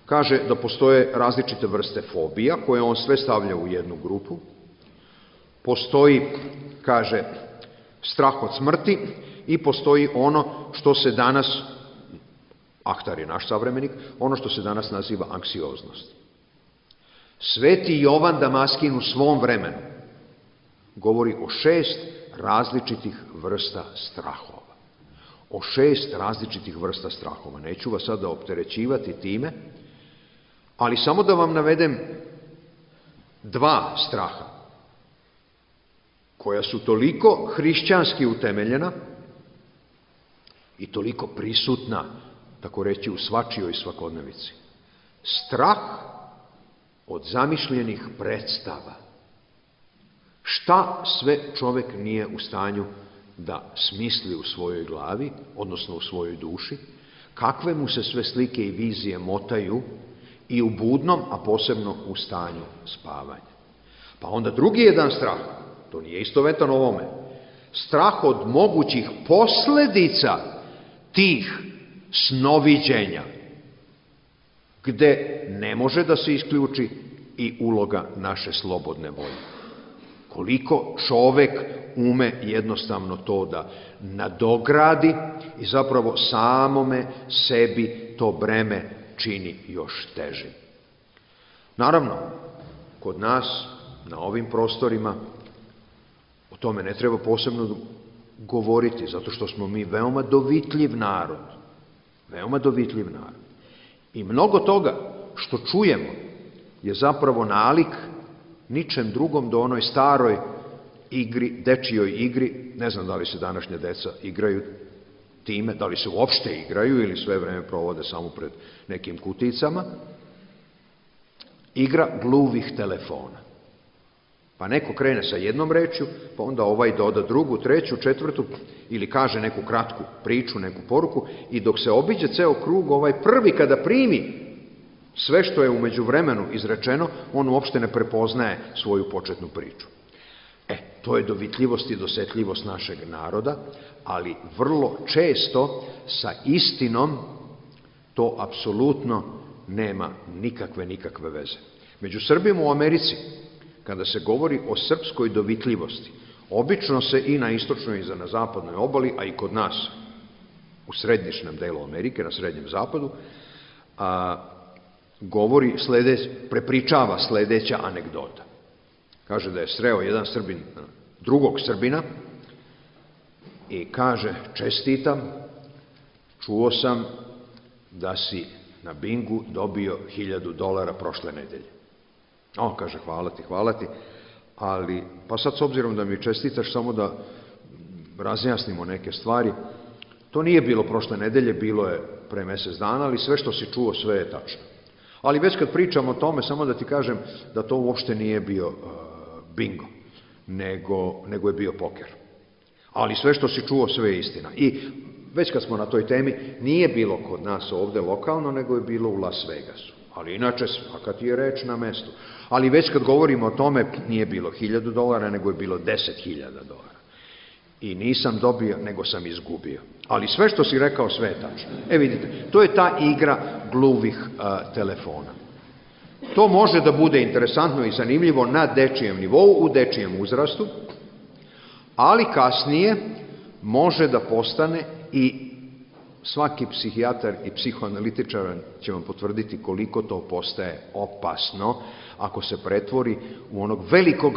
Kaže da postoje različite vrste fobija, koje on sve stavlja u jednu grupu. Postoji, kaže, strah od smrti i postoji ono što se danas, Ahtar je naš savremenik, ono što se danas naziva anksioznost. Sveti Jovan Damaskin u svom vremenu govori o 6 različitih vrsta strahova. O 6 različitih vrsta strahova. Neću vas sada opterećivati time, ali samo da vam navedem 2 straha, koja su toliko hrišćanski utemeljena i toliko prisutna, tako reći, u svačijoj svakodnevici. Strah od zamišljenih predstava. Šta sve čovek nije u stanju da smisli u svojoj glavi, odnosno u svojoj duši, kakve mu se sve slike i vizije motaju i u budnom, a posebno u stanju spavanja. Pa onda drugi jedan strah, to nije istovetan ovome, strah od mogućih posledica tih snoviđenja, gde ne može da se isključi i uloga naše slobodne volje. Koliko čovek ume jednostavno to da nadogradi i zapravo samome sebi to breme čini još težim. Naravno, kod nas, na ovim prostorima, o tome ne treba posebno govoriti, zato što smo mi veoma dovitljiv narod. Veoma dovitljiv narod. I mnogo toga što čujemo je zapravo nalik ničem drugom do onoj staroj igri, dečijoj igri. Ne znam da li se današnja deca igraju time, da li se uopšte igraju ili sve vreme provode samo pred nekim kuticama. Igra gluvih telefona. Pa neko krene sa jednom rečju, pa onda ovaj doda drugu, treću, četvrtu, ili kaže neku kratku priču, neku poruku, i dok se obiđe ceo krug, ovaj prvi kada primi sve što je u međuvremenu izrečeno, on uopšte ne prepoznaje svoju početnu priču. To je dovitljivost i dosetljivost našeg naroda, ali vrlo često sa istinom to apsolutno nema nikakve veze. Među Srbima u Americi, kada se govori o srpskoj dovitljivosti, obično se i na istočnoj i na zapadnoj obali, a i kod nas u središnjem delu Amerike, na srednjem zapadu, prepričava sledeća anegdota. Kaže da je sreo jedan Srbin drugog Srbina i kaže: čestitam, čuo sam da si na bingu dobio $1000 prošle nedelje. On kaže: hvala ti, ali, pa sad s obzirom da mi čestitaš, samo da razjasnimo neke stvari, to nije bilo prošle nedelje, bilo je pre mjesec dana, ali sve što si čuo, sve je tačno. Ali već kad pričam o tome, samo da ti kažem da to uopšte nije bio bingo, nego je bio poker. Ali sve što si čuo, sve je istina. I već kad smo na toj temi, nije bilo kod nas ovdje lokalno, nego je bilo u Las Vegasu. Ali inače, svaka ti je reč na mestu. Ali već kad govorimo o tome, nije bilo $1000, nego je bilo $10.000. I nisam dobio, nego sam izgubio. Ali sve što si rekao, sve je tačno. Vidite, to je ta igra gluvih telefona. To može da bude interesantno i zanimljivo na dečijem nivou, u dečijem uzrastu, ali kasnije može da postane, i svaki psihijatar i psihoanalitičar će vam potvrditi koliko to postaje opasno ako se pretvori u onog velikog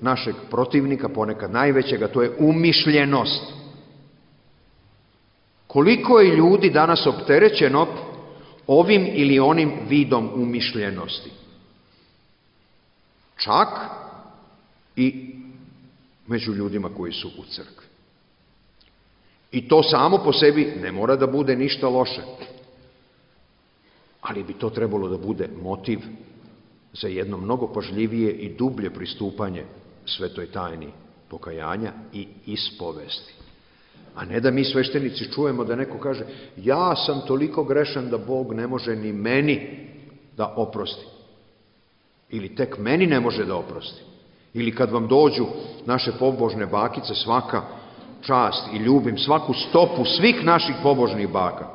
našeg protivnika, ponekad najvećega, to je umišljenost. Koliko je ljudi danas opterećeno ovim ili onim vidom umišljenosti? Čak i među ljudima koji su u crkvi. I to samo po sebi ne mora da bude ništa loše. Ali bi to trebalo da bude motiv za jedno mnogo pažljivije i dublje pristupanje svetoj tajni pokajanja i ispovesti. A ne da mi sveštenici čujemo da neko kaže: ja sam toliko grešan da Bog ne može ni meni da oprosti. Ili tek meni ne može da oprosti. Ili kad vam dođu naše pobožne bakice, svaka čast i ljubim svaku stopu svih naših pobožnih baka.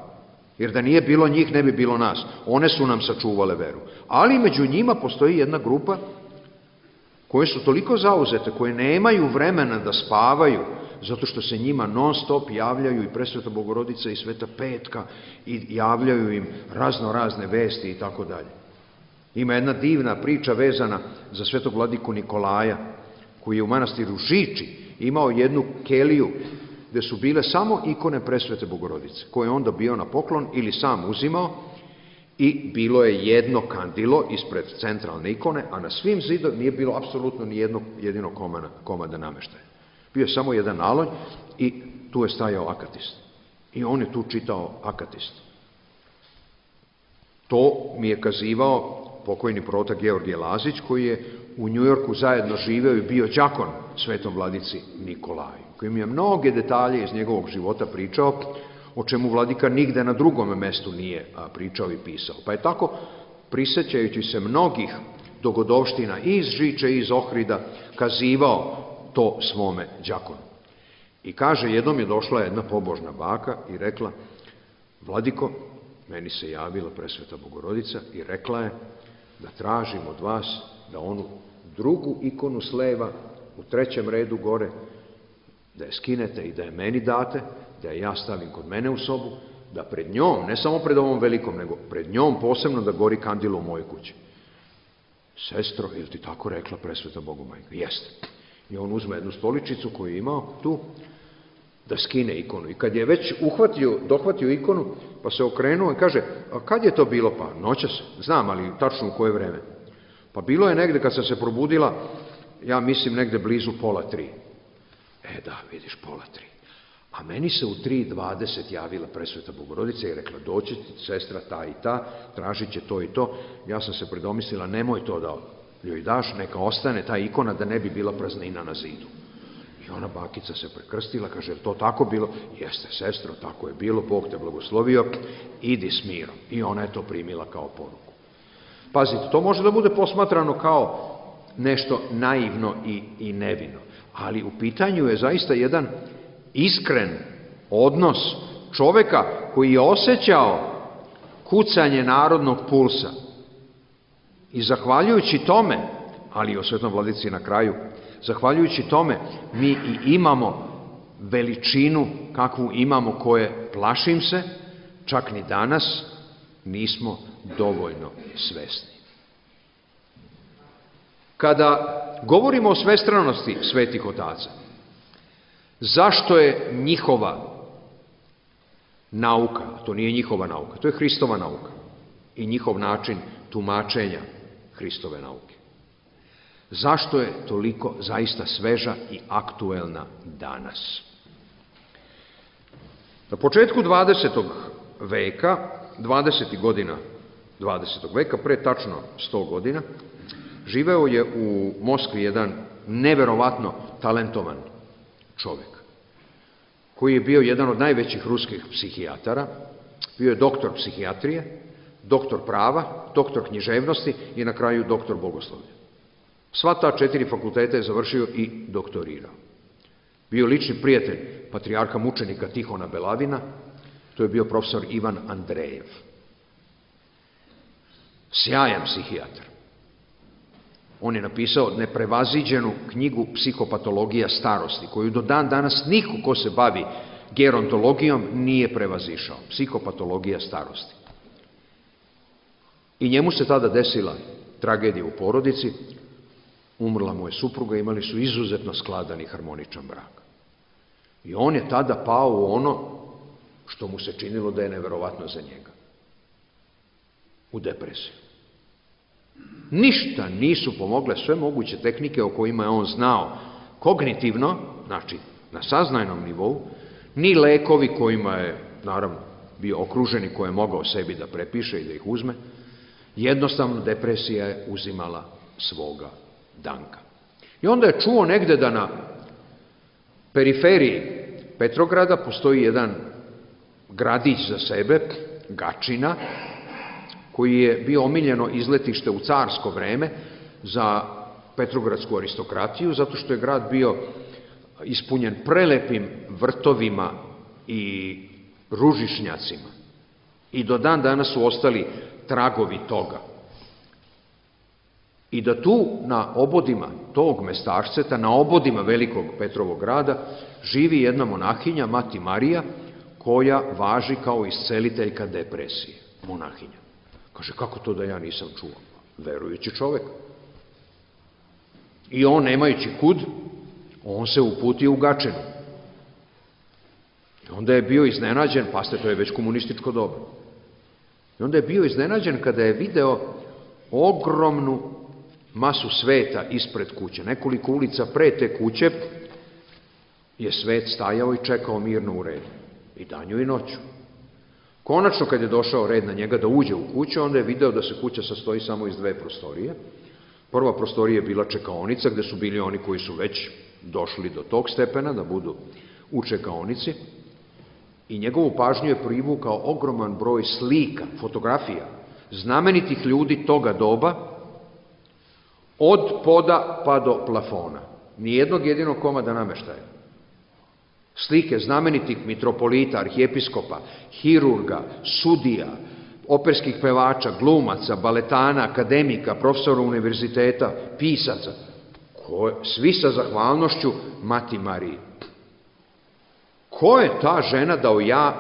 Jer da nije bilo njih, ne bi bilo nas. One su nam sačuvale veru. Ali među njima postoji jedna grupa koje su toliko zauzete, koje nemaju vremena da spavaju, zato što se njima non stop javljaju i Presveta Bogorodica i Sveta Petka i javljaju im razne vesti i tako dalje. Ima jedna divna priča vezana za svetog vladiku Nikolaja, koji je u manastiru Žiči imao jednu keliju gde su bile samo ikone Presvete Bogorodice, koje je onda bio na poklon ili sam uzimao, i bilo je jedno kandilo ispred centralne ikone, a na svim zidovima nije bilo apsolutno ni jednog jedinog komada nameštaja. Bio je samo jedan naloj i tu je stajao akatist. I on je tu čitao akatist. To mi je kazivao pokojni protak Georgije Lazić, koji je u Njujorku zajedno živeo i bio đakon svetom vladici Nikolaju, koji mi je mnoge detalje iz njegovog života pričao, o čemu vladika nigde na drugom mestu nije pričao i pisao. Pa je tako, prisećajući se mnogih dogodovština iz Žiče i iz Ohrida, kazivao to svome đakonu. I kaže, jednom je došla jedna pobožna baka i rekla: vladiko, meni se javila Presveta Bogorodica i rekla je da tražim od vas da onu drugu ikonu s leva, u 3. redu gore, da je skinete i da je meni date, da je ja stavim kod mene u sobu, da pred njom, ne samo pred ovom velikom, nego pred njom posebno da gori kandilo u mojoj kući. Sestro, ili ti tako rekla Presveta Bogomajka? Jeste. I on uzme jednu stoličicu koju je imao tu, da skine ikonu. I kad je već dohvatio ikonu, pa se okrenuo i kaže: a kad je to bilo? Pa noćas. Znam, ali tačno u koje vreme. Pa bilo je negde kad sam se probudila, ja mislim negde blizu 2:30. Da, vidiš, 2:30. A meni se u 3:20 javila Presveta Bogorodica i rekla: doći sestra ta i ta, tražit će to i to. Ja sam se predomislila: nemoj to da joj daš, neka ostane ta ikona, da ne bi bila praznina na zidu. I ona bakica se prekrstila, kaže: je to tako bilo? Jeste, sestro, tako je bilo, Bog te blagoslovio, idi s mirom. I ona je to primila kao poruku. Pazite, to može da bude posmatrano kao nešto naivno i nevino, ali u pitanju je zaista jedan iskren odnos čoveka koji je osjećao kucanje narodnog pulsa. I zahvaljujući tome, ali i o svetom vladici na kraju, zahvaljujući tome mi i imamo veličinu kakvu imamo, koje, plašim se, čak ni danas nismo dovoljno svesni. Kada govorimo o svestranosti svetih otaca, zašto je njihova nauka, to nije njihova nauka, to je Hristova nauka i njihov način tumačenja Hristove nauke. Zašto je toliko zaista sveža i aktuelna danas? Na početku 20. veka, 20. godina 20. veka, pre tačno 100 godina, živeo je u Moskvi jedan neverovatno talentovan čovjek, koji je bio jedan od najvećih ruskih psihijatara, bio je doktor psihijatrije, doktor prava, doktor književnosti i na kraju doktor bogoslovlja. Sva ta 4 fakulteta je završio i doktorirao. Bio lični prijatelj patrijarha mučenika Tihona Belavina, to je bio profesor Ivan Andrejev. Sjajan psihijatar. On je napisao neprevaziđenu knjigu Psihopatologija starosti, koju do dan danas niko ko se bavi gerontologijom nije prevazišao. Psihopatologija starosti. I njemu se tada desila tragedija u porodici, umrla mu je supruga, imali su izuzetno skladan i harmoničan brak. I on je tada pao u ono što mu se činilo da je neverovatno za njega. U depresiju. Ništa nisu pomogle sve moguće tehnike o kojima je on znao kognitivno, znači na saznajnom nivou, ni lekovi kojima je, naravno, bio okružen i koje je mogao sebi da prepiše i da ih uzme. Jednostavno depresija je uzimala svoga danka. I onda je čuo negde da na periferiji Petrograda postoji jedan gradić za sebe, Gačina, koji je bio omiljeno izletište u carsko vreme za petrogradsku aristokratiju, zato što je grad bio ispunjen prelepim vrtovima i ružišnjacima. I do dan danas su ostali tragovi toga. I da tu na obodima tog mestašceta, na obodima velikog Petrovog grada, živi jedna monahinja, Mati Marija, koja važi kao isceliteljka depresije. Monahinja. Kaže, kako to da ja nisam čuo? Verujući čovek. I on, nemajući kud, on se uputio u Gačinu. I onda je bio iznenađen, paste, to je već komunističko doba. I onda je bio iznenađen kada je video ogromnu masu sveta ispred kuće. Nekoliko ulica pre te kuće je svet stajao i čekao mirno u redu. I danju i noću. Konačno, kad je došao red na njega da uđe u kuću, onda je video da se kuća sastoji samo iz 2 prostorije. Prva prostorija je bila čekaonica, gde su bili oni koji su već došli do tog stepena, da budu u čekaonici. I njegovu pažnju je privukao ogroman broj slika, fotografija, znamenitih ljudi toga doba, od poda pa do plafona. Nijednog jedinog komada nameštaja. Slike znamenitih mitropolita, arhijepiskopa, hirurga, sudija, operskih pevača, glumaca, baletana, akademika, profesora univerziteta, pisaca, svi sa zahvalnošću Mati Mariji. Ko je ta žena da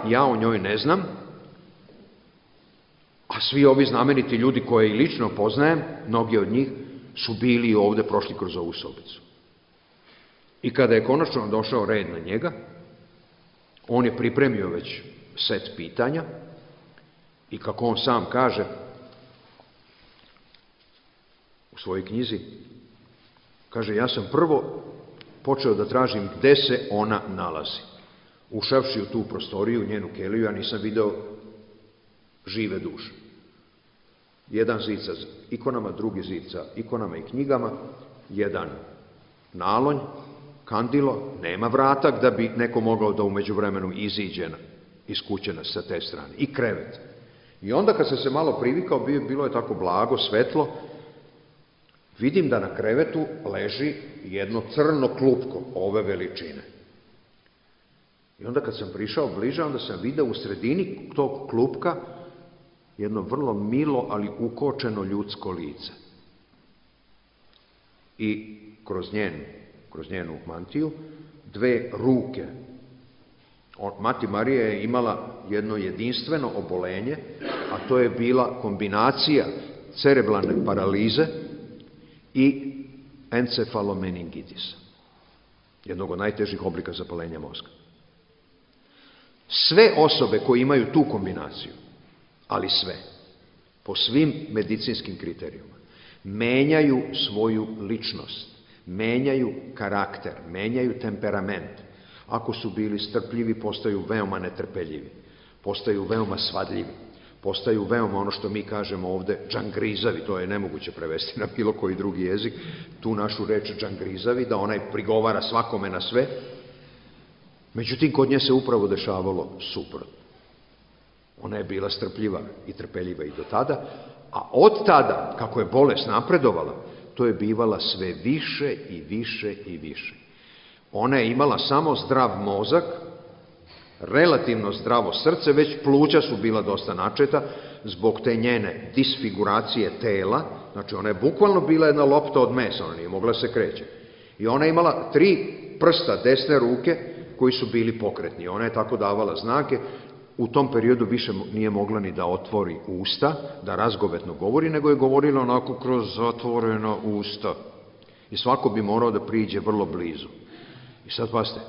ja o njoj ne znam, a svi ovi znameniti ljudi koje i lično poznajem, mnogi od njih, su bili ovde, prošli kroz ovu sobicu. I kada je konačno došao red na njega, on je pripremio već set pitanja i kako on sam kaže u svojoj knjizi, kaže, ja sam prvo počeo da tražim gde se ona nalazi. Ušavši u tu prostoriju, njenu keliju, ja nisam video žive duše. Jedan zid sa ikonama, drugi zid sa ikonama i knjigama, jedan nalonj, kandilo, nema vratak da bi neko mogao da umeđu vremenu iziđe iz kuće sa te strane. I krevet. I onda kad sam se malo privikao, bilo je tako blago, svetlo, vidim da na krevetu leži jedno crno klupko ove veličine. I onda kad sam prišao bliže, onda sam video u sredini tog klupka jedno vrlo milo, ali ukočeno ljudsko lice. I kroz njenu mantiju 2 ruke. Mati Marija je imala jedno jedinstveno obolenje, a to je bila kombinacija cerebralne paralize i encefalomeningitisa, jednog od najtežih oblika zapalenja mozga. Sve osobe koje imaju tu kombinaciju, ali sve, po svim medicinskim kriterijuma, menjaju svoju ličnost, menjaju karakter, menjaju temperament. Ako su bili strpljivi, postaju veoma netrpeljivi, postaju veoma svadljivi, postaju veoma, ono što mi kažemo ovde, džangrizavi, to je nemoguće prevesti na bilo koji drugi jezik, tu našu reč džangrizavi, da onaj prigovara svakome na sve. Međutim, kod nje se upravo dešavalo suprotno. Ona je bila strpljiva i trpeljiva i do tada, a od tada, kako je bolest napredovala, to je bivala sve više i više i više. Ona je imala samo zdrav mozak, relativno zdravo srce, već pluća su bila dosta načeta zbog te njene disfiguracije tela, znači ona je bukvalno bila jedna lopta od mesa, ona nije mogla se kreće. I ona je imala 3 prsta desne ruke koji su bili pokretni. Ona je tako davala znake. U tom periodu više nije mogla ni da otvori usta, da razgovetno govori, nego je govorila onako kroz zatvorena usta. I svako bi morao da priđe vrlo blizu. I sad pazite,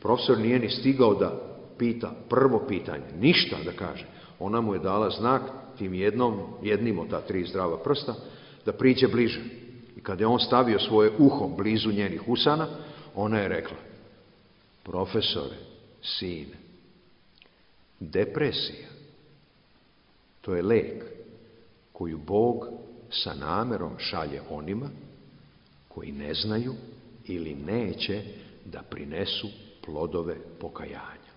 profesor nije ni stigao da pita prvo pitanje, ništa da kaže. Ona mu je dala znak tim jednim od ta 3 zdrava prsta, da priđe bliže. I kada je on stavio svoje uho blizu njenih usana, ona je rekla: profesore, sine, depresija, to je lek koju Bog sa namerom šalje onima koji ne znaju ili neće da prinesu plodove pokajanja.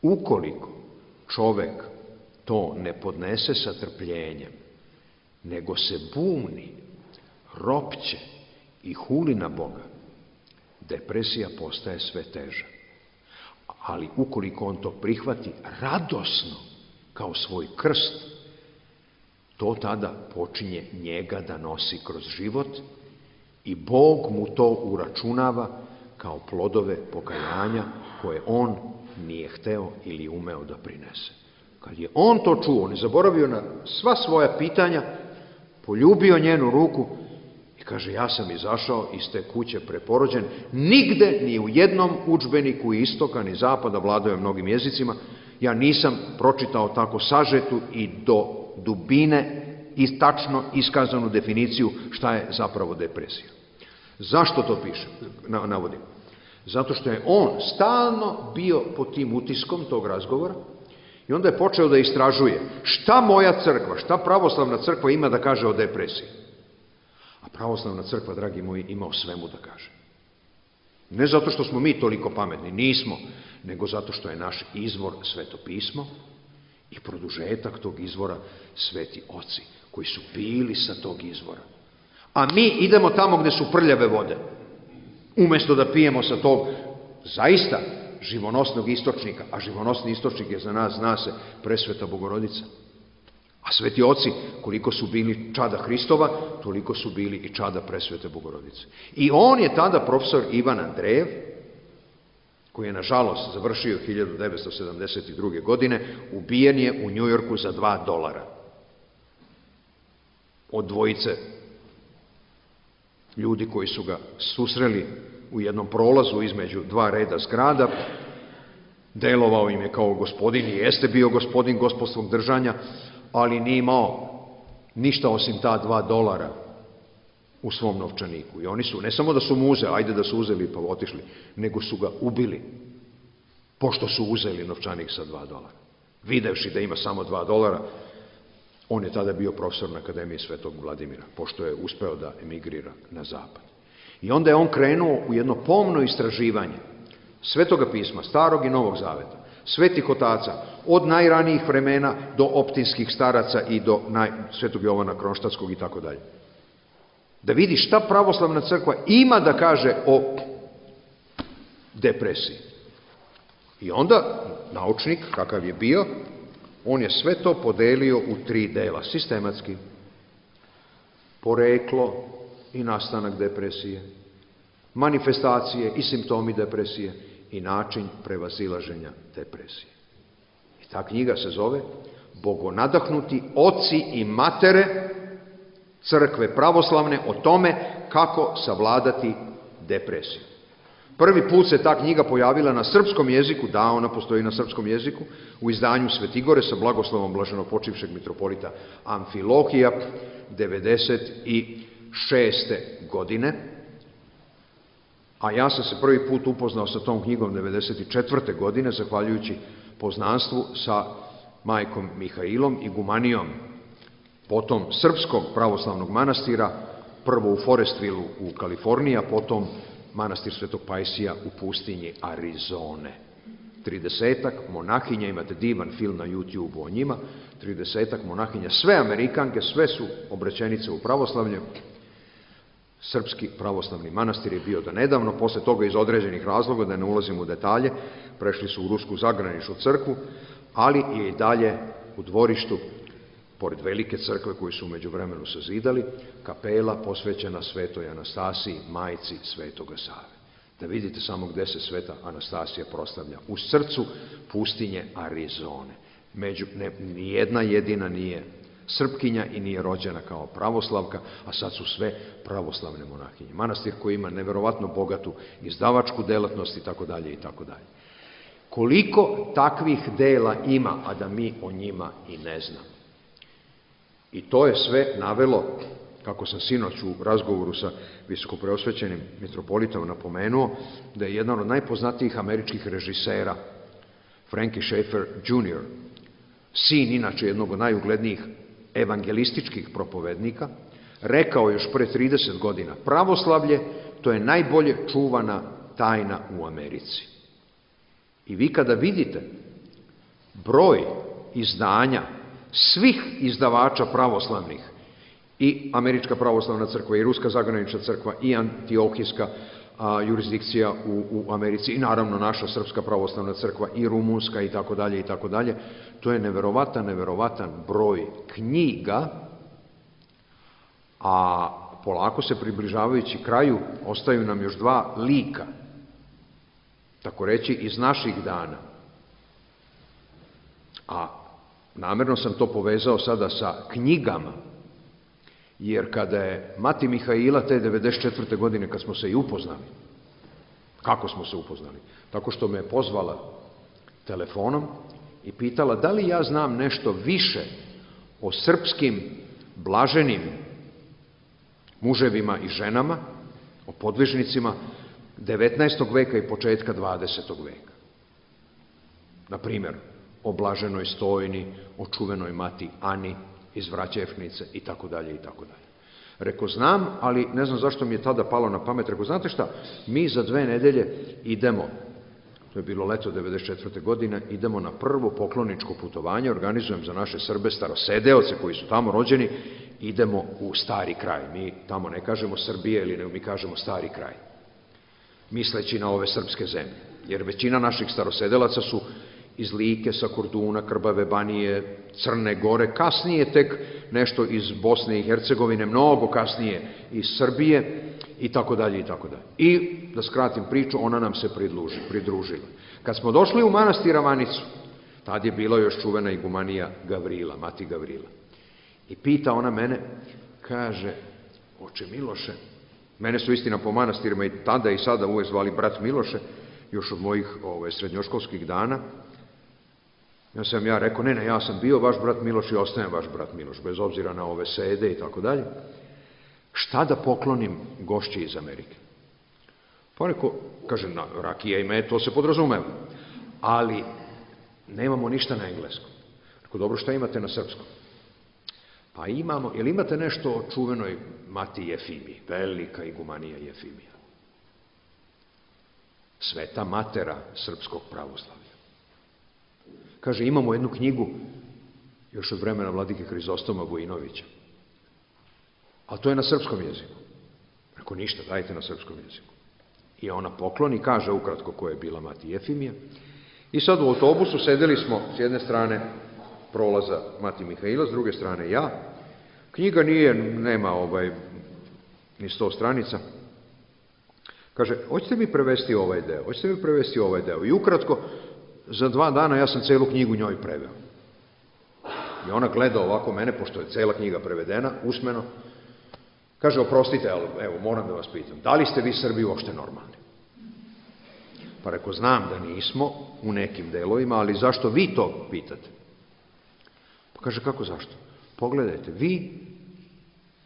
Ukoliko čovek to ne podnese sa trpljenjem, nego se buni, ropće i huli na Boga, depresija postaje sve teža. Ali ukoliko on to prihvati radosno kao svoj krst, to tada počinje njega da nosi kroz život i Bog mu to uračunava kao plodove pokajanja koje on nije hteo ili umeo da prinese. Kad je on to čuo, on je zaboravio na sva svoja pitanja, poljubio njenu ruku i kaže: ja sam izašao iz te kuće preporođen, nigde ni u jednom udžbeniku istoka ni zapada, vladao je mnogim jezicima, ja nisam pročitao tako sažetu i do dubine i tačno iskazanu definiciju šta je zapravo depresija. Zašto to pišem, navodim? Zato što je on stalno bio pod tim utiskom tog razgovora i onda je počeo da istražuje šta moja crkva, šta pravoslavna crkva ima da kaže o depresiji. A pravoslavna crkva, dragi moji, ima o svemu da kaže. Ne zato što smo mi toliko pametni, nismo, nego zato što je naš izvor Sveto pismo i produžetak tog izvora sveti oci, koji su bili sa tog izvora. A mi idemo tamo gde su prljave vode, umesto da pijemo sa tog zaista živonosnog istočnika, a živonosni istočnik je za nas, zna se, presveta Bogorodica. A sveti oci, koliko su bili čada Hristova, toliko su bili i čada presvete Bogorodice. I on je tada profesor Ivan Andrejev, koji je nažalost završio 1972. godine, ubijen je u Njujorku za $2. Od dvojice ljudi koji su ga susreli u jednom prolazu između 2 reda zgrada. Delovao im je kao gospodin i jeste bio gospodin gospodskog držanja, ali nije imao ništa osim ta $2 u svom novčaniku. I oni su, ne samo da su mu uzeli, ajde da su uzeli pa otišli, nego su ga ubili, pošto su uzeli novčanik sa $2. Videvši da ima samo $2, on je tada bio profesor na Akademiji Svetog Vladimira, pošto je uspeo da emigrira na zapad. I onda je on krenuo u jedno pomno istraživanje Svetoga pisma, Starog i Novog Zaveta, svetih otaca, od najranijih vremena do optinskih staraca i do Svetog Jovana Kronštatskog i tako dalje. Da vidi šta pravoslavna crkva ima da kaže o depresiji. I onda naučnik, kakav je bio, on je sve to podelio u 3 dela, sistematski. Poreklo i nastanak depresije, manifestacije i simptomi depresije i način prevazilaženja depresije. I ta knjiga se zove Bogonadahnuti oci i matere crkve pravoslavne o tome kako savladati depresiju. Prvi put se ta knjiga pojavila na srpskom jeziku, da, ona postoji na srpskom jeziku, u izdanju Svetigore sa blagoslovom blaženopočivšeg mitropolita Amfilohija 96. godine, a ja sam se prvi put upoznao sa tom knjigom 94. godine, zahvaljujući poznanstvu sa majkom Mihailom i gumanijom potom srpskog pravoslavnog manastira, prvo u Forestvilleu u Kaliforniji, a potom manastir Svetog Pajsija u pustinji Arizone. 30-ak monahinja, imate divan film na YouTube o njima, 30-ak monahinja, sve Amerikanke, sve su obraćenice u pravoslavlju. Srpski pravoslavni manastir je bio do nedavno, posle toga iz određenih razloga, da ne ulazim u detalje, prešli su u Rusku zagraničnu crkvu, ali je i dalje u dvorištu, pored velike crkve koju su umeđu vremenu sazidali, kapela posvećena svetoj Anastasiji, majci Svetoga Save. Da vidite samo gde se sveta Anastasija proslavlja. U srcu pustinje Arizone. Nijedna jedina nije Srpkinja i nije rođena kao pravoslavka, a sad su sve pravoslavne monahinje. Manastir koji ima neverovatno bogatu izdavačku delatnost i tako dalje i tako dalje. Koliko takvih dela ima, a da mi o njima i ne znamo. I to je sve navelo, kako sam sinoć u razgovoru sa visokopreosvećenim mitropolitom napomenuo, da je jedan od najpoznatijih američkih režisera, Frankie Schaeffer Jr., sin inače jednog od najuglednijih evangelističkih propovednika, rekao još pre 30 godina, pravoslavlje to je najbolje čuvana tajna u Americi. I vi kada vidite broj izdanja svih izdavača pravoslavnih, i Američka pravoslavna crkva, i Ruska zagranična crkva, i Antiohijska jurisdikcija u Americi, i naravno naša Srpska pravoslavna crkva, i Rumunska, i tako dalje, i tako dalje, to je neverovatan broj knjiga, a polako se približavajući kraju ostaju nam još dva lika, tako reći, iz naših dana. A namerno sam to povezao sada sa knjigama, jer kada je mati Mihaila te 94. godine, kad smo se i upoznali, kako smo se upoznali? Tako što me je pozvala telefonom i pitala da li ja znam nešto više o srpskim blaženim muževima i ženama, o podvižnicima 19. veka i početka 20. veka. Na primjer, o blaženoj Stojni, o čuvenoj mati Ani iz Vraćevnice i tako dalje i tako dalje. Reko, znam, ali ne znam zašto mi je tada palo na pamet. Reko, znate šta, mi za 2 nedelje idemo, to je bilo leto 94. godine, idemo na prvo pokloničko putovanje, organizujem za naše Srbe, starosedeoce koji su tamo rođeni, idemo u Stari kraj. Mi tamo ne kažemo Srbije, ili mi kažemo Stari kraj, misleći na ove srpske zemlje. Jer većina naših starosedelaca su iz Like, sa Korduna, Krbave Banije, Crne Gore, kasnije tek nešto iz Bosne i Hercegovine, mnogo kasnije iz Srbije i tako dalje i tako dalje. I, da skratim priču, ona nam se pridružila. Kad smo došli u manastir Ravanicu, tad je bila još čuvena igumanija Gavrila, mati Gavrila. I pita ona mene, kaže, oče Miloše, mene su istina po manastirima i tada i sada uvek zvali brat Miloše, još od mojih srednjoškolskih dana. Ja rekao, ne, ja sam bio vaš brat Miloš i ostajem vaš brat Miloš, bez obzira na ove sede i tako dalje. Šta da poklonim gošći iz Amerike? Pa rekao, kaže, rakija i med, to se podrazumeva, ali nemamo ništa na engleskom. Rekao, dobro, šta imate na srpskom? Pa imamo, jel imate nešto o čuvenoj mati Jefimiji, velika igumanija Jefimija? Sveta matera srpskog pravoslavlja. Kaže, imamo jednu knjigu, još od vremena vladike Hrizostoma Vojinovića, ali to je na srpskom jeziku. Rekao, ništa, dajte na srpskom jeziku. I ona pokloni, kaže ukratko ko je bila mati Jefimija. I sad u autobusu sedeli smo s jedne strane prolaza mati Mihaila, s druge strane ja. Knjiga nema ni 100 stranica. Kaže, hoćete mi prevesti ovaj deo, hoćete mi prevesti ovaj deo. I ukratko, za 2 dana ja sam celu knjigu njoj preveo. I ona gleda ovako mene, pošto je cela knjiga prevedena, usmeno. Kaže, oprostite, ali evo, moram da vas pitam, da li ste vi Srbi uopšte normalni? Pa reko, znam da nismo u nekim delovima, ali zašto vi to pitate? Pa kaže, kako zašto? Pogledajte, vi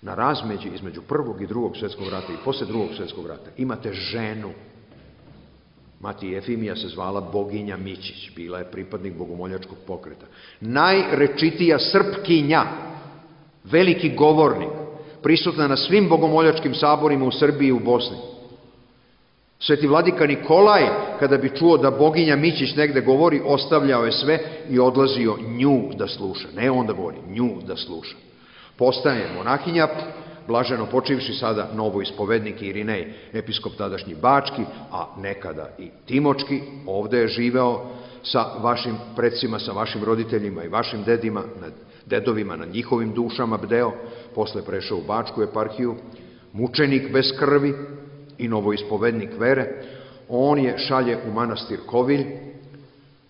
na razmeđi između Prvog i Drugog svjetskog rata i posle Drugog svjetskog rata imate ženu. Mati Jefimija se zvala Boginja Mićić, bila je pripadnik bogomoljačkog pokreta. Najrečitija Srpkinja, veliki govornik, prisutna na svim bogomoljačkim saborima u Srbiji i u Bosni. Sveti vladika Nikolaj, kada bi čuo da Boginja Mićić negde govori, ostavljao je sve i odlazio nju da sluša. Ne on da govori, nju da sluša. Postaje monahinja, blaženo počivši sada novoispovednik Irinej, episkop tadašnji Bački, a nekada i Timočki, ovde je živeo sa vašim predsima, sa vašim roditeljima i vašim dedovima, na njihovim dušama bdeo, posle prešao u Bačku eparhiju, mučenik bez krvi i novoispovednik vere. On je šalje u manastir Kovilj,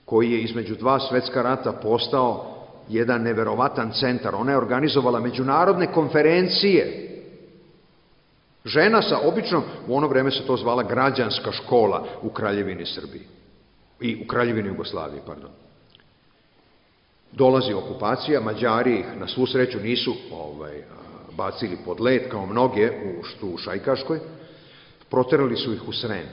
koji je između dva svetska rata postao jedan neverovatan centar. Ona je organizovala međunarodne konferencije. Žena sa običnom, u ono vreme se to zvala građanska škola u Kraljevini Srbiji. I u Kraljevini Jugoslaviji, pardon. Dolazi okupacija, Mađari ih na svu sreću nisu bacili pod led kao mnoge u Šajkaškoj, proterali su ih u Srem.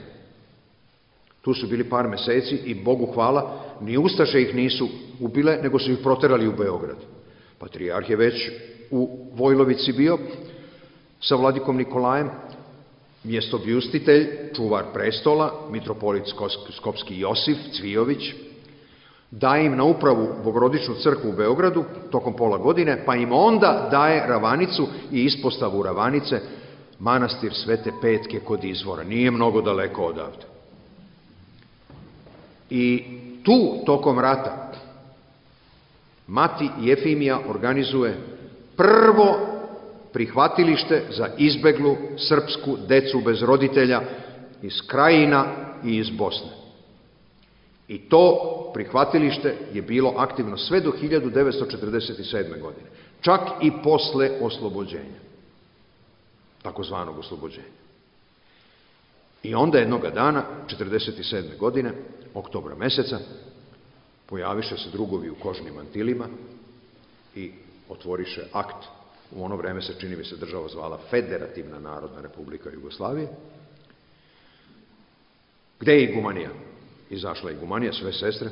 Tu su bili par meseci i Bogu hvala, ni ustaše ih nisu ubile, nego su ih proterali u Beograd. Patrijarh je već u Vojlovici bio sa vladikom Nikolajem, mjestobljustitelj, čuvar prestola, mitropolit Skopski Josif Cvijović, daje im na upravu Bogorodičnu crkvu u Beogradu tokom pola godine, pa im onda daje Ravanicu i ispostavu Ravanice, manastir Svete Petke kod izvora. Nije mnogo daleko odavde. I tu, tokom rata, mati Jefimija organizuje prvo prihvatilište za izbeglu srpsku decu bez roditelja iz Krajina i iz Bosne. I to prihvatilište je bilo aktivno sve do 1947. godine, čak i posle oslobođenja, takozvanog oslobođenja. I onda jednoga dana, 1947. godine, oktobra meseca, pojaviše se drugovi u kožnim mantilima i otvoriše akt. U ono vreme se, čini mi se, država zvala Federativna narodna republika Jugoslavije. Gde je igumanija? Izašla je igumanija, sve sestre.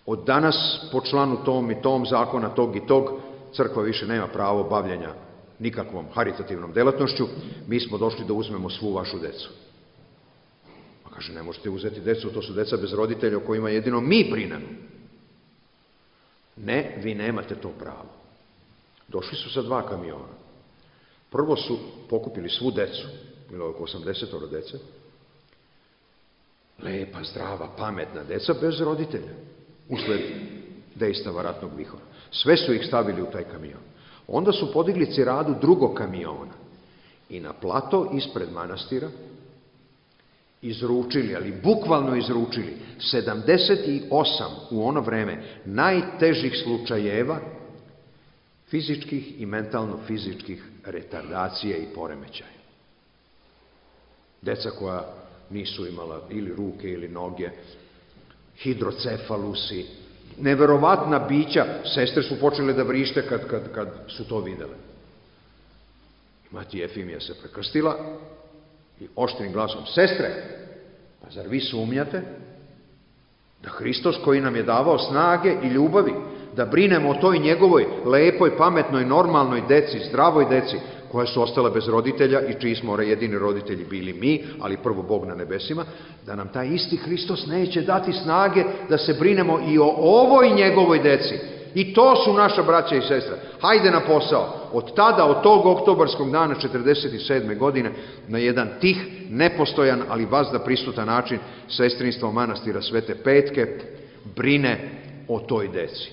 Od danas, po članu tom i tom zakona, tog i tog, crkva više nema pravo bavljenja nikakvom haritativnom delatnošću, mi smo došli da uzmemo svu vašu decu. Pa kaže, ne možete uzeti decu, to su deca bez roditelja o kojima jedino mi brinemo. Ne, vi nemate to pravo. Došli su sa 2 kamiona. Prvo su pokupili svu decu, bilo je oko 80 dece, lepa, zdrava, pametna deca bez roditelja, usled dejstava ratnog vihora. Sve su ih stavili u taj kamion. Onda su podigli ciradu drugog kamiona i na plato ispred manastira izručili, ali bukvalno izručili, 78 u ono vreme najtežih slučajeva fizičkih i mentalno-fizičkih retardacija i poremećaja. Deca koja nisu imala ili ruke ili noge, hidrocefalusi, neverovatna bića, sestre su počele da vrište kad su to videle. Mati Jefimija se prekrstila i oštrim glasom, sestre, pa zar vi sumnjate da Hristos koji nam je davao snage i ljubavi, da brinemo o toj njegovoj lepoj, pametnoj, normalnoj deci, zdravoj deci, koja su ostala bez roditelja i čiji smo jedini roditelji bili mi, ali prvo Bog na nebesima, da nam taj isti Hristos neće dati snage da se brinemo i o ovoj njegovoj deci. I to su naša braća i sestra. Hajde na posao. Od tada, od tog oktobarskog dana 1947. godine, na jedan tih, nepostojan, ali vazda prisutan način, sestrinstvo manastira Svete Petke brine o toj deci.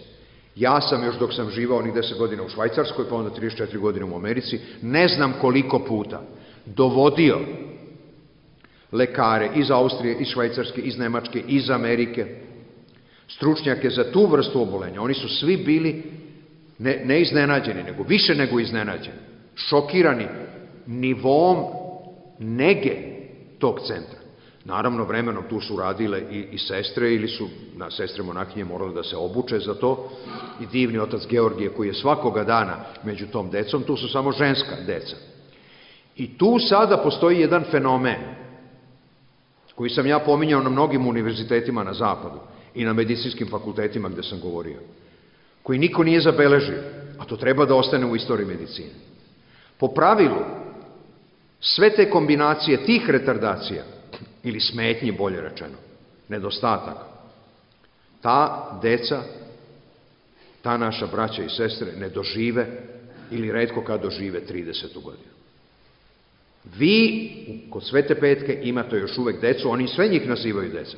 Ja sam još dok sam živao onih 10 godina u Švajcarskoj, pa onda 34 godine u Americi, ne znam koliko puta dovodio lekare iz Austrije, iz Švajcarske, iz Nemačke, iz Amerike, stručnjake za tu vrstu obolenja. Oni su svi bili ne iznenađeni, nego više nego iznenađeni, šokirani nivom nege tog centra. Naravno, vremenom tu su radile i sestre, ili su sestre monahinje morale da se obuče za to, i divni otac Georgije koji je svakoga dana među tom decom, tu su samo ženska deca. I tu sada postoji jedan fenomen koji sam ja pominjao na mnogim univerzitetima na zapadu i na medicinskim fakultetima gde sam govorio, koji niko nije zabeležio, a to treba da ostane u istoriji medicine. Po pravilu, sve te kombinacije tih retardacija, ili smetnji, bolje rečeno, nedostataka, ta deca, ta naša braća i sestre ne dožive, ili retko kad dožive 30. godinu. Vi, kod Svete Petke, imate još uvek decu, oni sve njih nazivaju deca,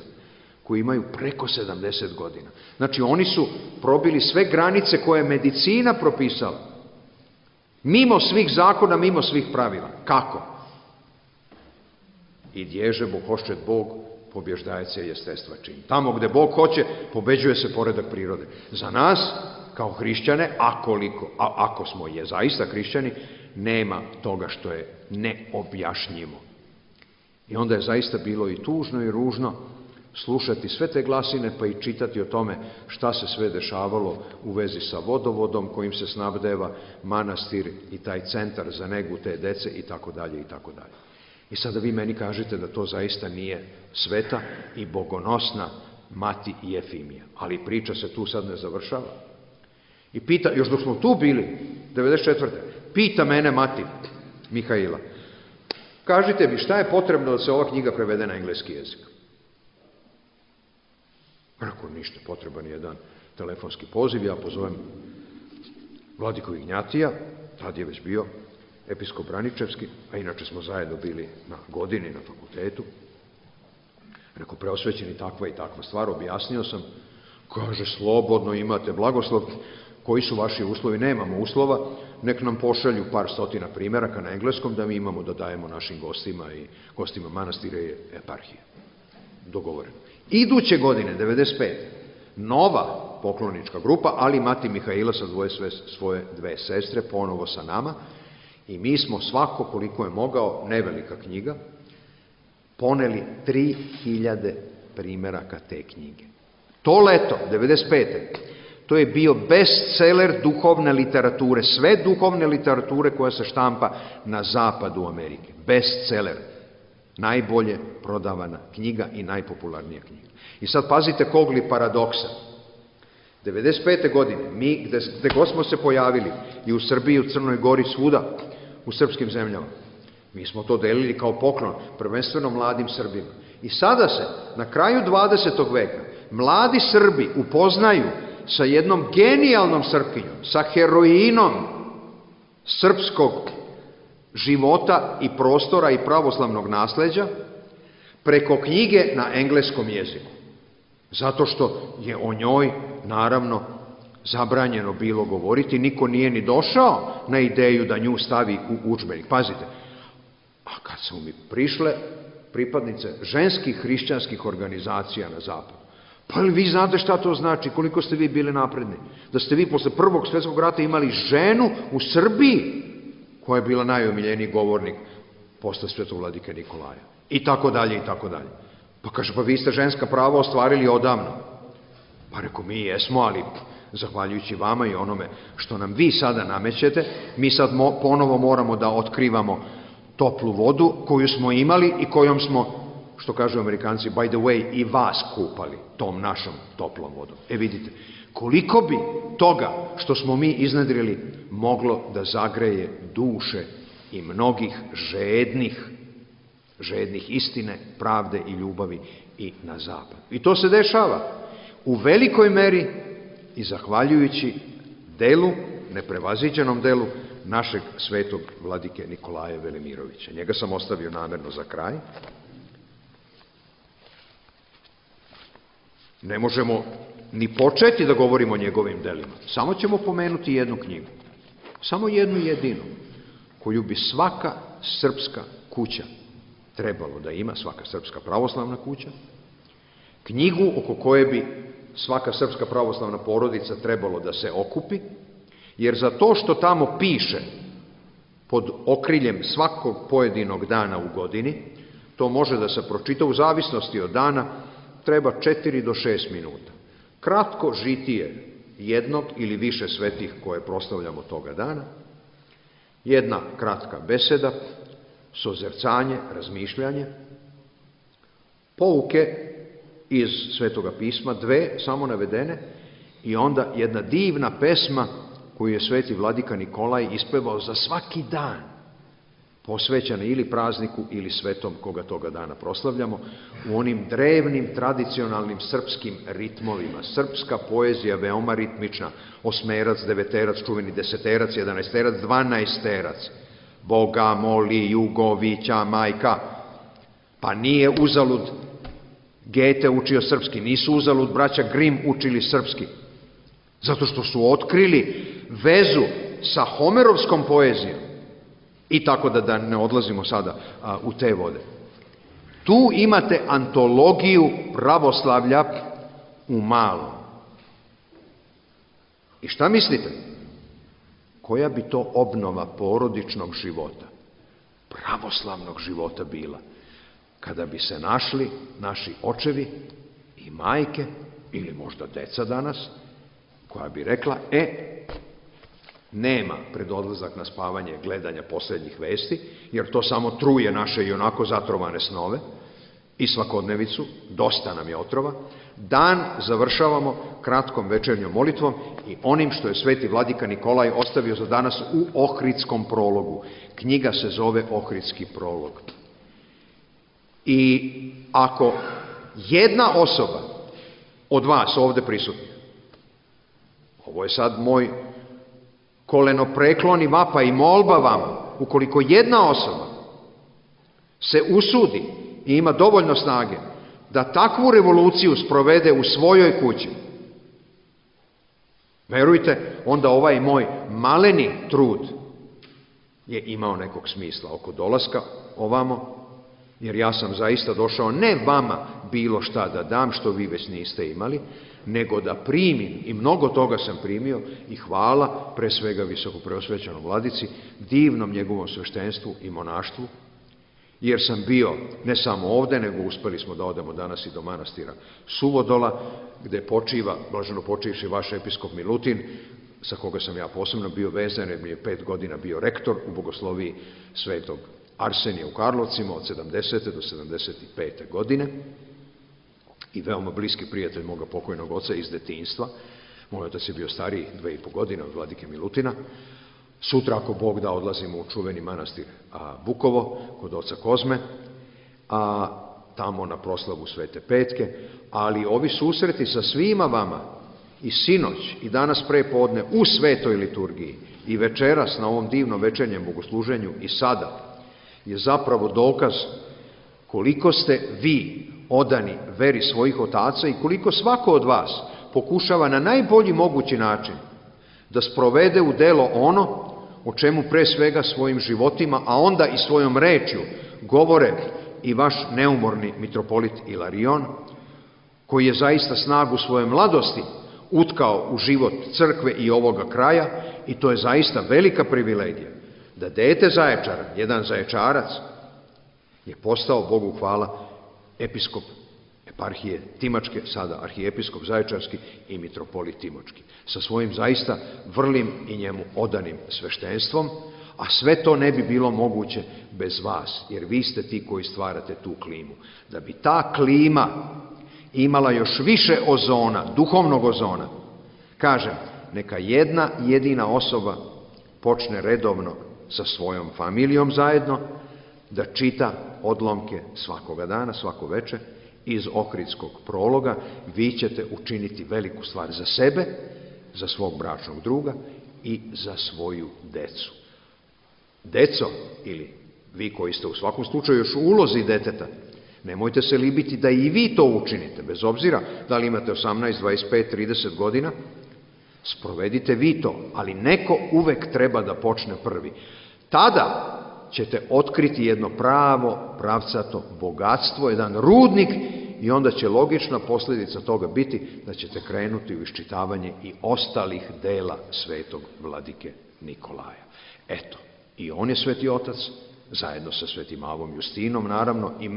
koji imaju preko 70 godina. Znači, oni su probili sve granice koje je medicina propisala. Mimo svih zakona, mimo svih pravila. Kako? I dježe Bog hoščet Bog, pobježdajac je jestestva čin. Tamo gde Bog hoće, pobeđuje se poredak prirode. Za nas, kao hrišćane, ako smo zaista hrišćani, nema toga što je neobjašnjivo. I onda je zaista bilo i tužno i ružno slušati sve te glasine, pa i čitati o tome šta se sve dešavalo u vezi sa vodovodom kojim se snabdeva manastir i taj centar za negu te dece i tako dalje i tako dalje. I sada vi meni kažete da to zaista nije sveta i bogonosna mati Jefimija. Ali priča se tu sad ne završava. I pita, još dok smo tu bili, 94. Pita mene mati Mihaila, kažite mi šta je potrebno da se ova knjiga prevede na engleski jezik? Rekao, ništa, potreban je jedan telefonski poziv, ja pozovem vladiku Ignjatija, tad je već bio episkop Braničevski, a inače smo zajedno bili na godini na fakultetu. Rekao, preosvećeni takva i takva stvar, objasnio sam, kaže, slobodno imate blagoslov, koji su vaši uslovi? Nemamo uslova, nek nam pošalju par stotina primjeraka na engleskom da mi imamo da dajemo našim gostima i gostima manastira i eparhije. Dogovoreno. Iduće godine, 95. nova poklonička grupa, ali mati Mihaila sa svoje dve sestre, ponovo sa nama, i mi smo svako koliko je mogao, nevelika knjiga, poneli 3000 primjeraka te knjige. To leto, 95. to je bio bestseller duhovne literature, sve duhovne literature koja se štampa na zapadu Amerike. Bestseller. Najbolje prodavana knjiga i najpopularnija knjiga. I sad pazite kog li paradoksa. 95. godine, mi gde god smo se pojavili, i u Srbiji, u Crnoj Gori, svuda, u srpskim zemljama, mi smo to delili kao poklon, prvenstveno mladim Srbima. I sada se, na kraju 20. veka, mladi Srbi upoznaju sa jednom genijalnom Srpkinjom, sa heroinom srpskog života i prostora i pravoslavnog nasleđa, preko knjige na engleskom jeziku. Zato što je o njoj, naravno, zabranjeno bilo govoriti, niko nije ni došao na ideju da nju stavi u udžbenik. Pazite, a kad su mi prišle pripadnice ženskih hrišćanskih organizacija na zapadu, pa li vi znate šta to znači, koliko ste vi bili napredni? Da ste vi posle Prvog svjetskog rata imali ženu u Srbiji, koja je bila najomiljeniji govornik posle svetog vladike Nikolaja. I tako dalje, i tako dalje. Pa kaže, pa vi ste ženska prava ostvarili odavno. Pa reko, mi jesmo, ali zahvaljujući vama i onome što nam vi sada namećete, mi sad ponovo moramo da otkrivamo toplu vodu koju smo imali i kojom smo, što kažu Amerikanci, by the way, i vas kupali tom našom toplom vodom. E vidite, koliko bi toga što smo mi iznedrili moglo da zagreje duše i mnogih žednih istine, pravde i ljubavi i na zapad. I to se dešava u velikoj meri i zahvaljujući delu, neprevaziđenom delu našeg svetog vladike Nikolaja Velimirovića. Njega sam ostavio namerno za kraj. Ne možemo ni početi da govorimo o njegovim delima. Samo ćemo pomenuti jednu knjigu. Samo jednu jedinu, koju bi svaka srpska kuća trebalo da ima, svaka srpska pravoslavna kuća, knjigu oko koje bi svaka srpska pravoslavna porodica trebalo da se okupi, jer za to što tamo piše pod okriljem svakog pojedinog dana u godini, to može da se pročita u zavisnosti od dana, treba 4 do 6 minuta. Kratko žitije jednog ili više svetih koje proslavljamo toga dana, jedna kratka beseda, sozercanje, razmišljanje, pouke iz Svetoga pisma, 2 samo navedene, i onda jedna divna pesma koju je sveti vladika Nikolaj ispevao za svaki dan, posvećena ili prazniku ili svetom koga toga dana proslavljamo, u onim drevnim, tradicionalnim srpskim ritmovima. Srpska poezija veoma ritmična, osmerac, deveterac, čuveni deseterac, jedanaesterac, dvanaesterac. Boga moli Jugovića majka. Pa nije uzalud Gete učio srpski, nisu uzalud braća Grim učili srpski, zato što su otkrili vezu sa homerovskom poezijom. I tako da ne odlazimo sada u te vode. Tu imate antologiju pravoslavlja u malom. I šta mislite? Koja bi to obnova porodičnog života, pravoslavnog života bila, kada bi se našli naši očevi i majke, ili možda deca danas, koja bi rekla, nema pred odlazak na spavanje gledanja posljednjih vesti, jer to samo truje naše i onako zatrovane snove i svakodnevicu, dosta nam je otrova. Dan završavamo kratkom večernjom molitvom i onim što je sveti vladika Nikolaj ostavio za danas u Ohridskom prologu. Knjiga se zove Ohridski prolog. I ako jedna osoba od vas ovde prisutnih, ovo je sad moj kolenopreklon i vapa i molba vama, ukoliko jedna osoba se usudi i ima dovoljno snage da takvu revoluciju sprovede u svojoj kući, verujte, onda ovaj moj maleni trud je imao nekog smisla oko dolaska ovamo, jer ja sam zaista došao ne vama bilo šta da dam što vi već niste imali, nego da primim, i mnogo toga sam primio, i hvala pre svega visokopreosvećenom vladici, divnom njegovom sveštenstvu i monaštvu, jer sam bio ne samo ovde, nego uspeli smo da odemo danas i do manastira Suvodola, gde počiva, blaženo počivši vaš episkop Milutin, sa koga sam ja posebno bio vezan, jer mi je 5 godina bio rektor u bogosloviji svetog Arsenija u Karlovcima od 70. do 75. godine i veoma bliski prijatelj moga pokojnog oca iz detinjstva. Moj otac je bio stariji 2,5 godine od vladike Milutina. Sutra, ako Bog da, odlazimo u čuveni manastir Bukovo, kod oca Kozme, tamo na proslavu Svete Petke, ali ovi susreti sa svima vama i sinoć i danas prepodne u svetoj liturgiji i večeras na ovom divnom večernjem bogosluženju i sada je zapravo dokaz koliko ste vi odani veri svojih otaca i koliko svako od vas pokušava na najbolji mogući način da sprovede u delo ono o čemu pre svega svojim životima, a onda i svojom rečju govore i vaš neumorni mitropolit Ilarion, koji je zaista snagu svoje mladosti utkao u život crkve i ovoga kraja, i to je zaista velika privilegija da dete Zaječara, jedan Zaječarac, je postao, Bogu hvala, episkop eparhije Timočke, sada arhijepiskop Zaječarski i mitropolit Timočki, sa svojim zaista vrlim i njemu odanim sveštenstvom, a sve to ne bi bilo moguće bez vas, jer vi ste ti koji stvarate tu klimu. Da bi ta klima imala još više ozona, duhovnog ozona, kažem, neka jedna jedina osoba počne redovno sa svojom familijom zajedno da čita odlomke svakoga dana, svako veče, iz Ohridskog prologa. Vi ćete učiniti veliku stvar za sebe, za svog bračnog druga i za svoju decu. Deco, ili vi koji ste u svakom slučaju još u ulozi deteta, nemojte se libiti da i vi to učinite, bez obzira da li imate 18, 25, 30 godina, sprovedite vi to, ali neko uvek treba da počne prvi. Tada ćete otkriti jedno pravo, pravcato bogatstvo, jedan rudnik, i onda će logična posljedica toga biti da ćete krenuti u iščitavanje i ostalih dela svetog vladike Nikolaja. Eto, i on je sveti otac, zajedno sa Svetim Avom Justinom, naravno, i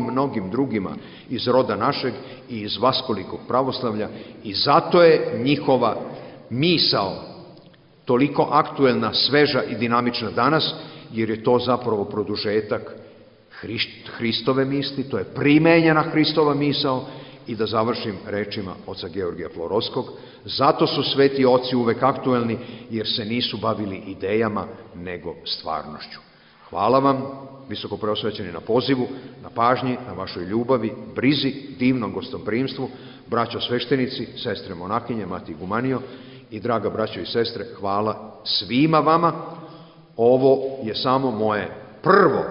mnogim drugima iz roda našeg i iz vaskolikog pravoslavlja, i zato je njihova misao toliko aktuelna, sveža i dinamična danas, jer je to zapravo produžetak Hristove misli, to je primenjena Hristova misao. I da završim rečima oca Georgija Florovskog, zato su sveti oci uvek aktuelni, jer se nisu bavili idejama, nego stvarnošću. Hvala vam, visoko preosvećeni, na pozivu, na pažnji, na vašoj ljubavi, brizi, divnom gostoprimstvu, braćo sveštenici, sestre monahinje, mati Igumanio i draga braćo i sestre, hvala svima vama. Ovo je samo moje prvo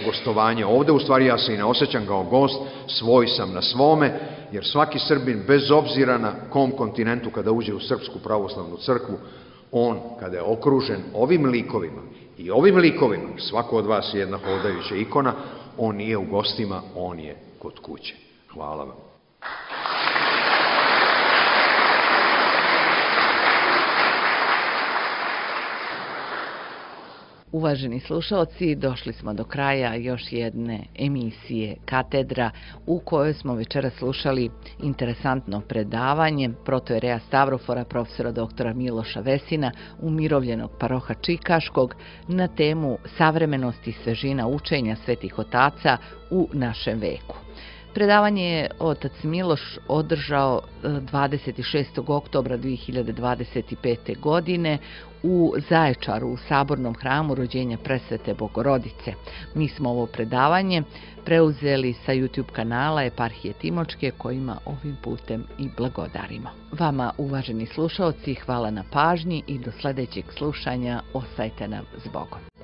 gostovanje ovde, u stvari ja se i ne osjećam kao gost, svoj sam na svome, jer svaki Srbin, bez obzira na kom kontinentu, kada uđe u Srpsku pravoslavnu crkvu, on, kada je okružen ovim likovima i ovim likovima, svako od vas je jedna hodajuća ikona, on nije u gostima, on je kod kuće. Hvala vam. Uvaženi slušalci, došli smo do kraja još jedne emisije Katedra, u kojoj smo večeras slušali interesantno predavanje protojereja Stavrofora, profesora doktora Miloša Vesina, umirovljenog paroha Čikaškog, na temu savremenosti i svežina učenja svetih otaca u našem veku. Predavanje je otac Miloš održao 26. oktobra 2025. godine u Zaječaru, u Sabornom hramu Rođenja Presvete Bogorodice. Mi smo ovo predavanje preuzeli sa YouTube kanala Eparhije Timočke, kojima ovim putem i blagodarimo. Vama, uvaženi slušaoci, hvala na pažnji i do sledećeg slušanja. Ostajte nam s Bogom.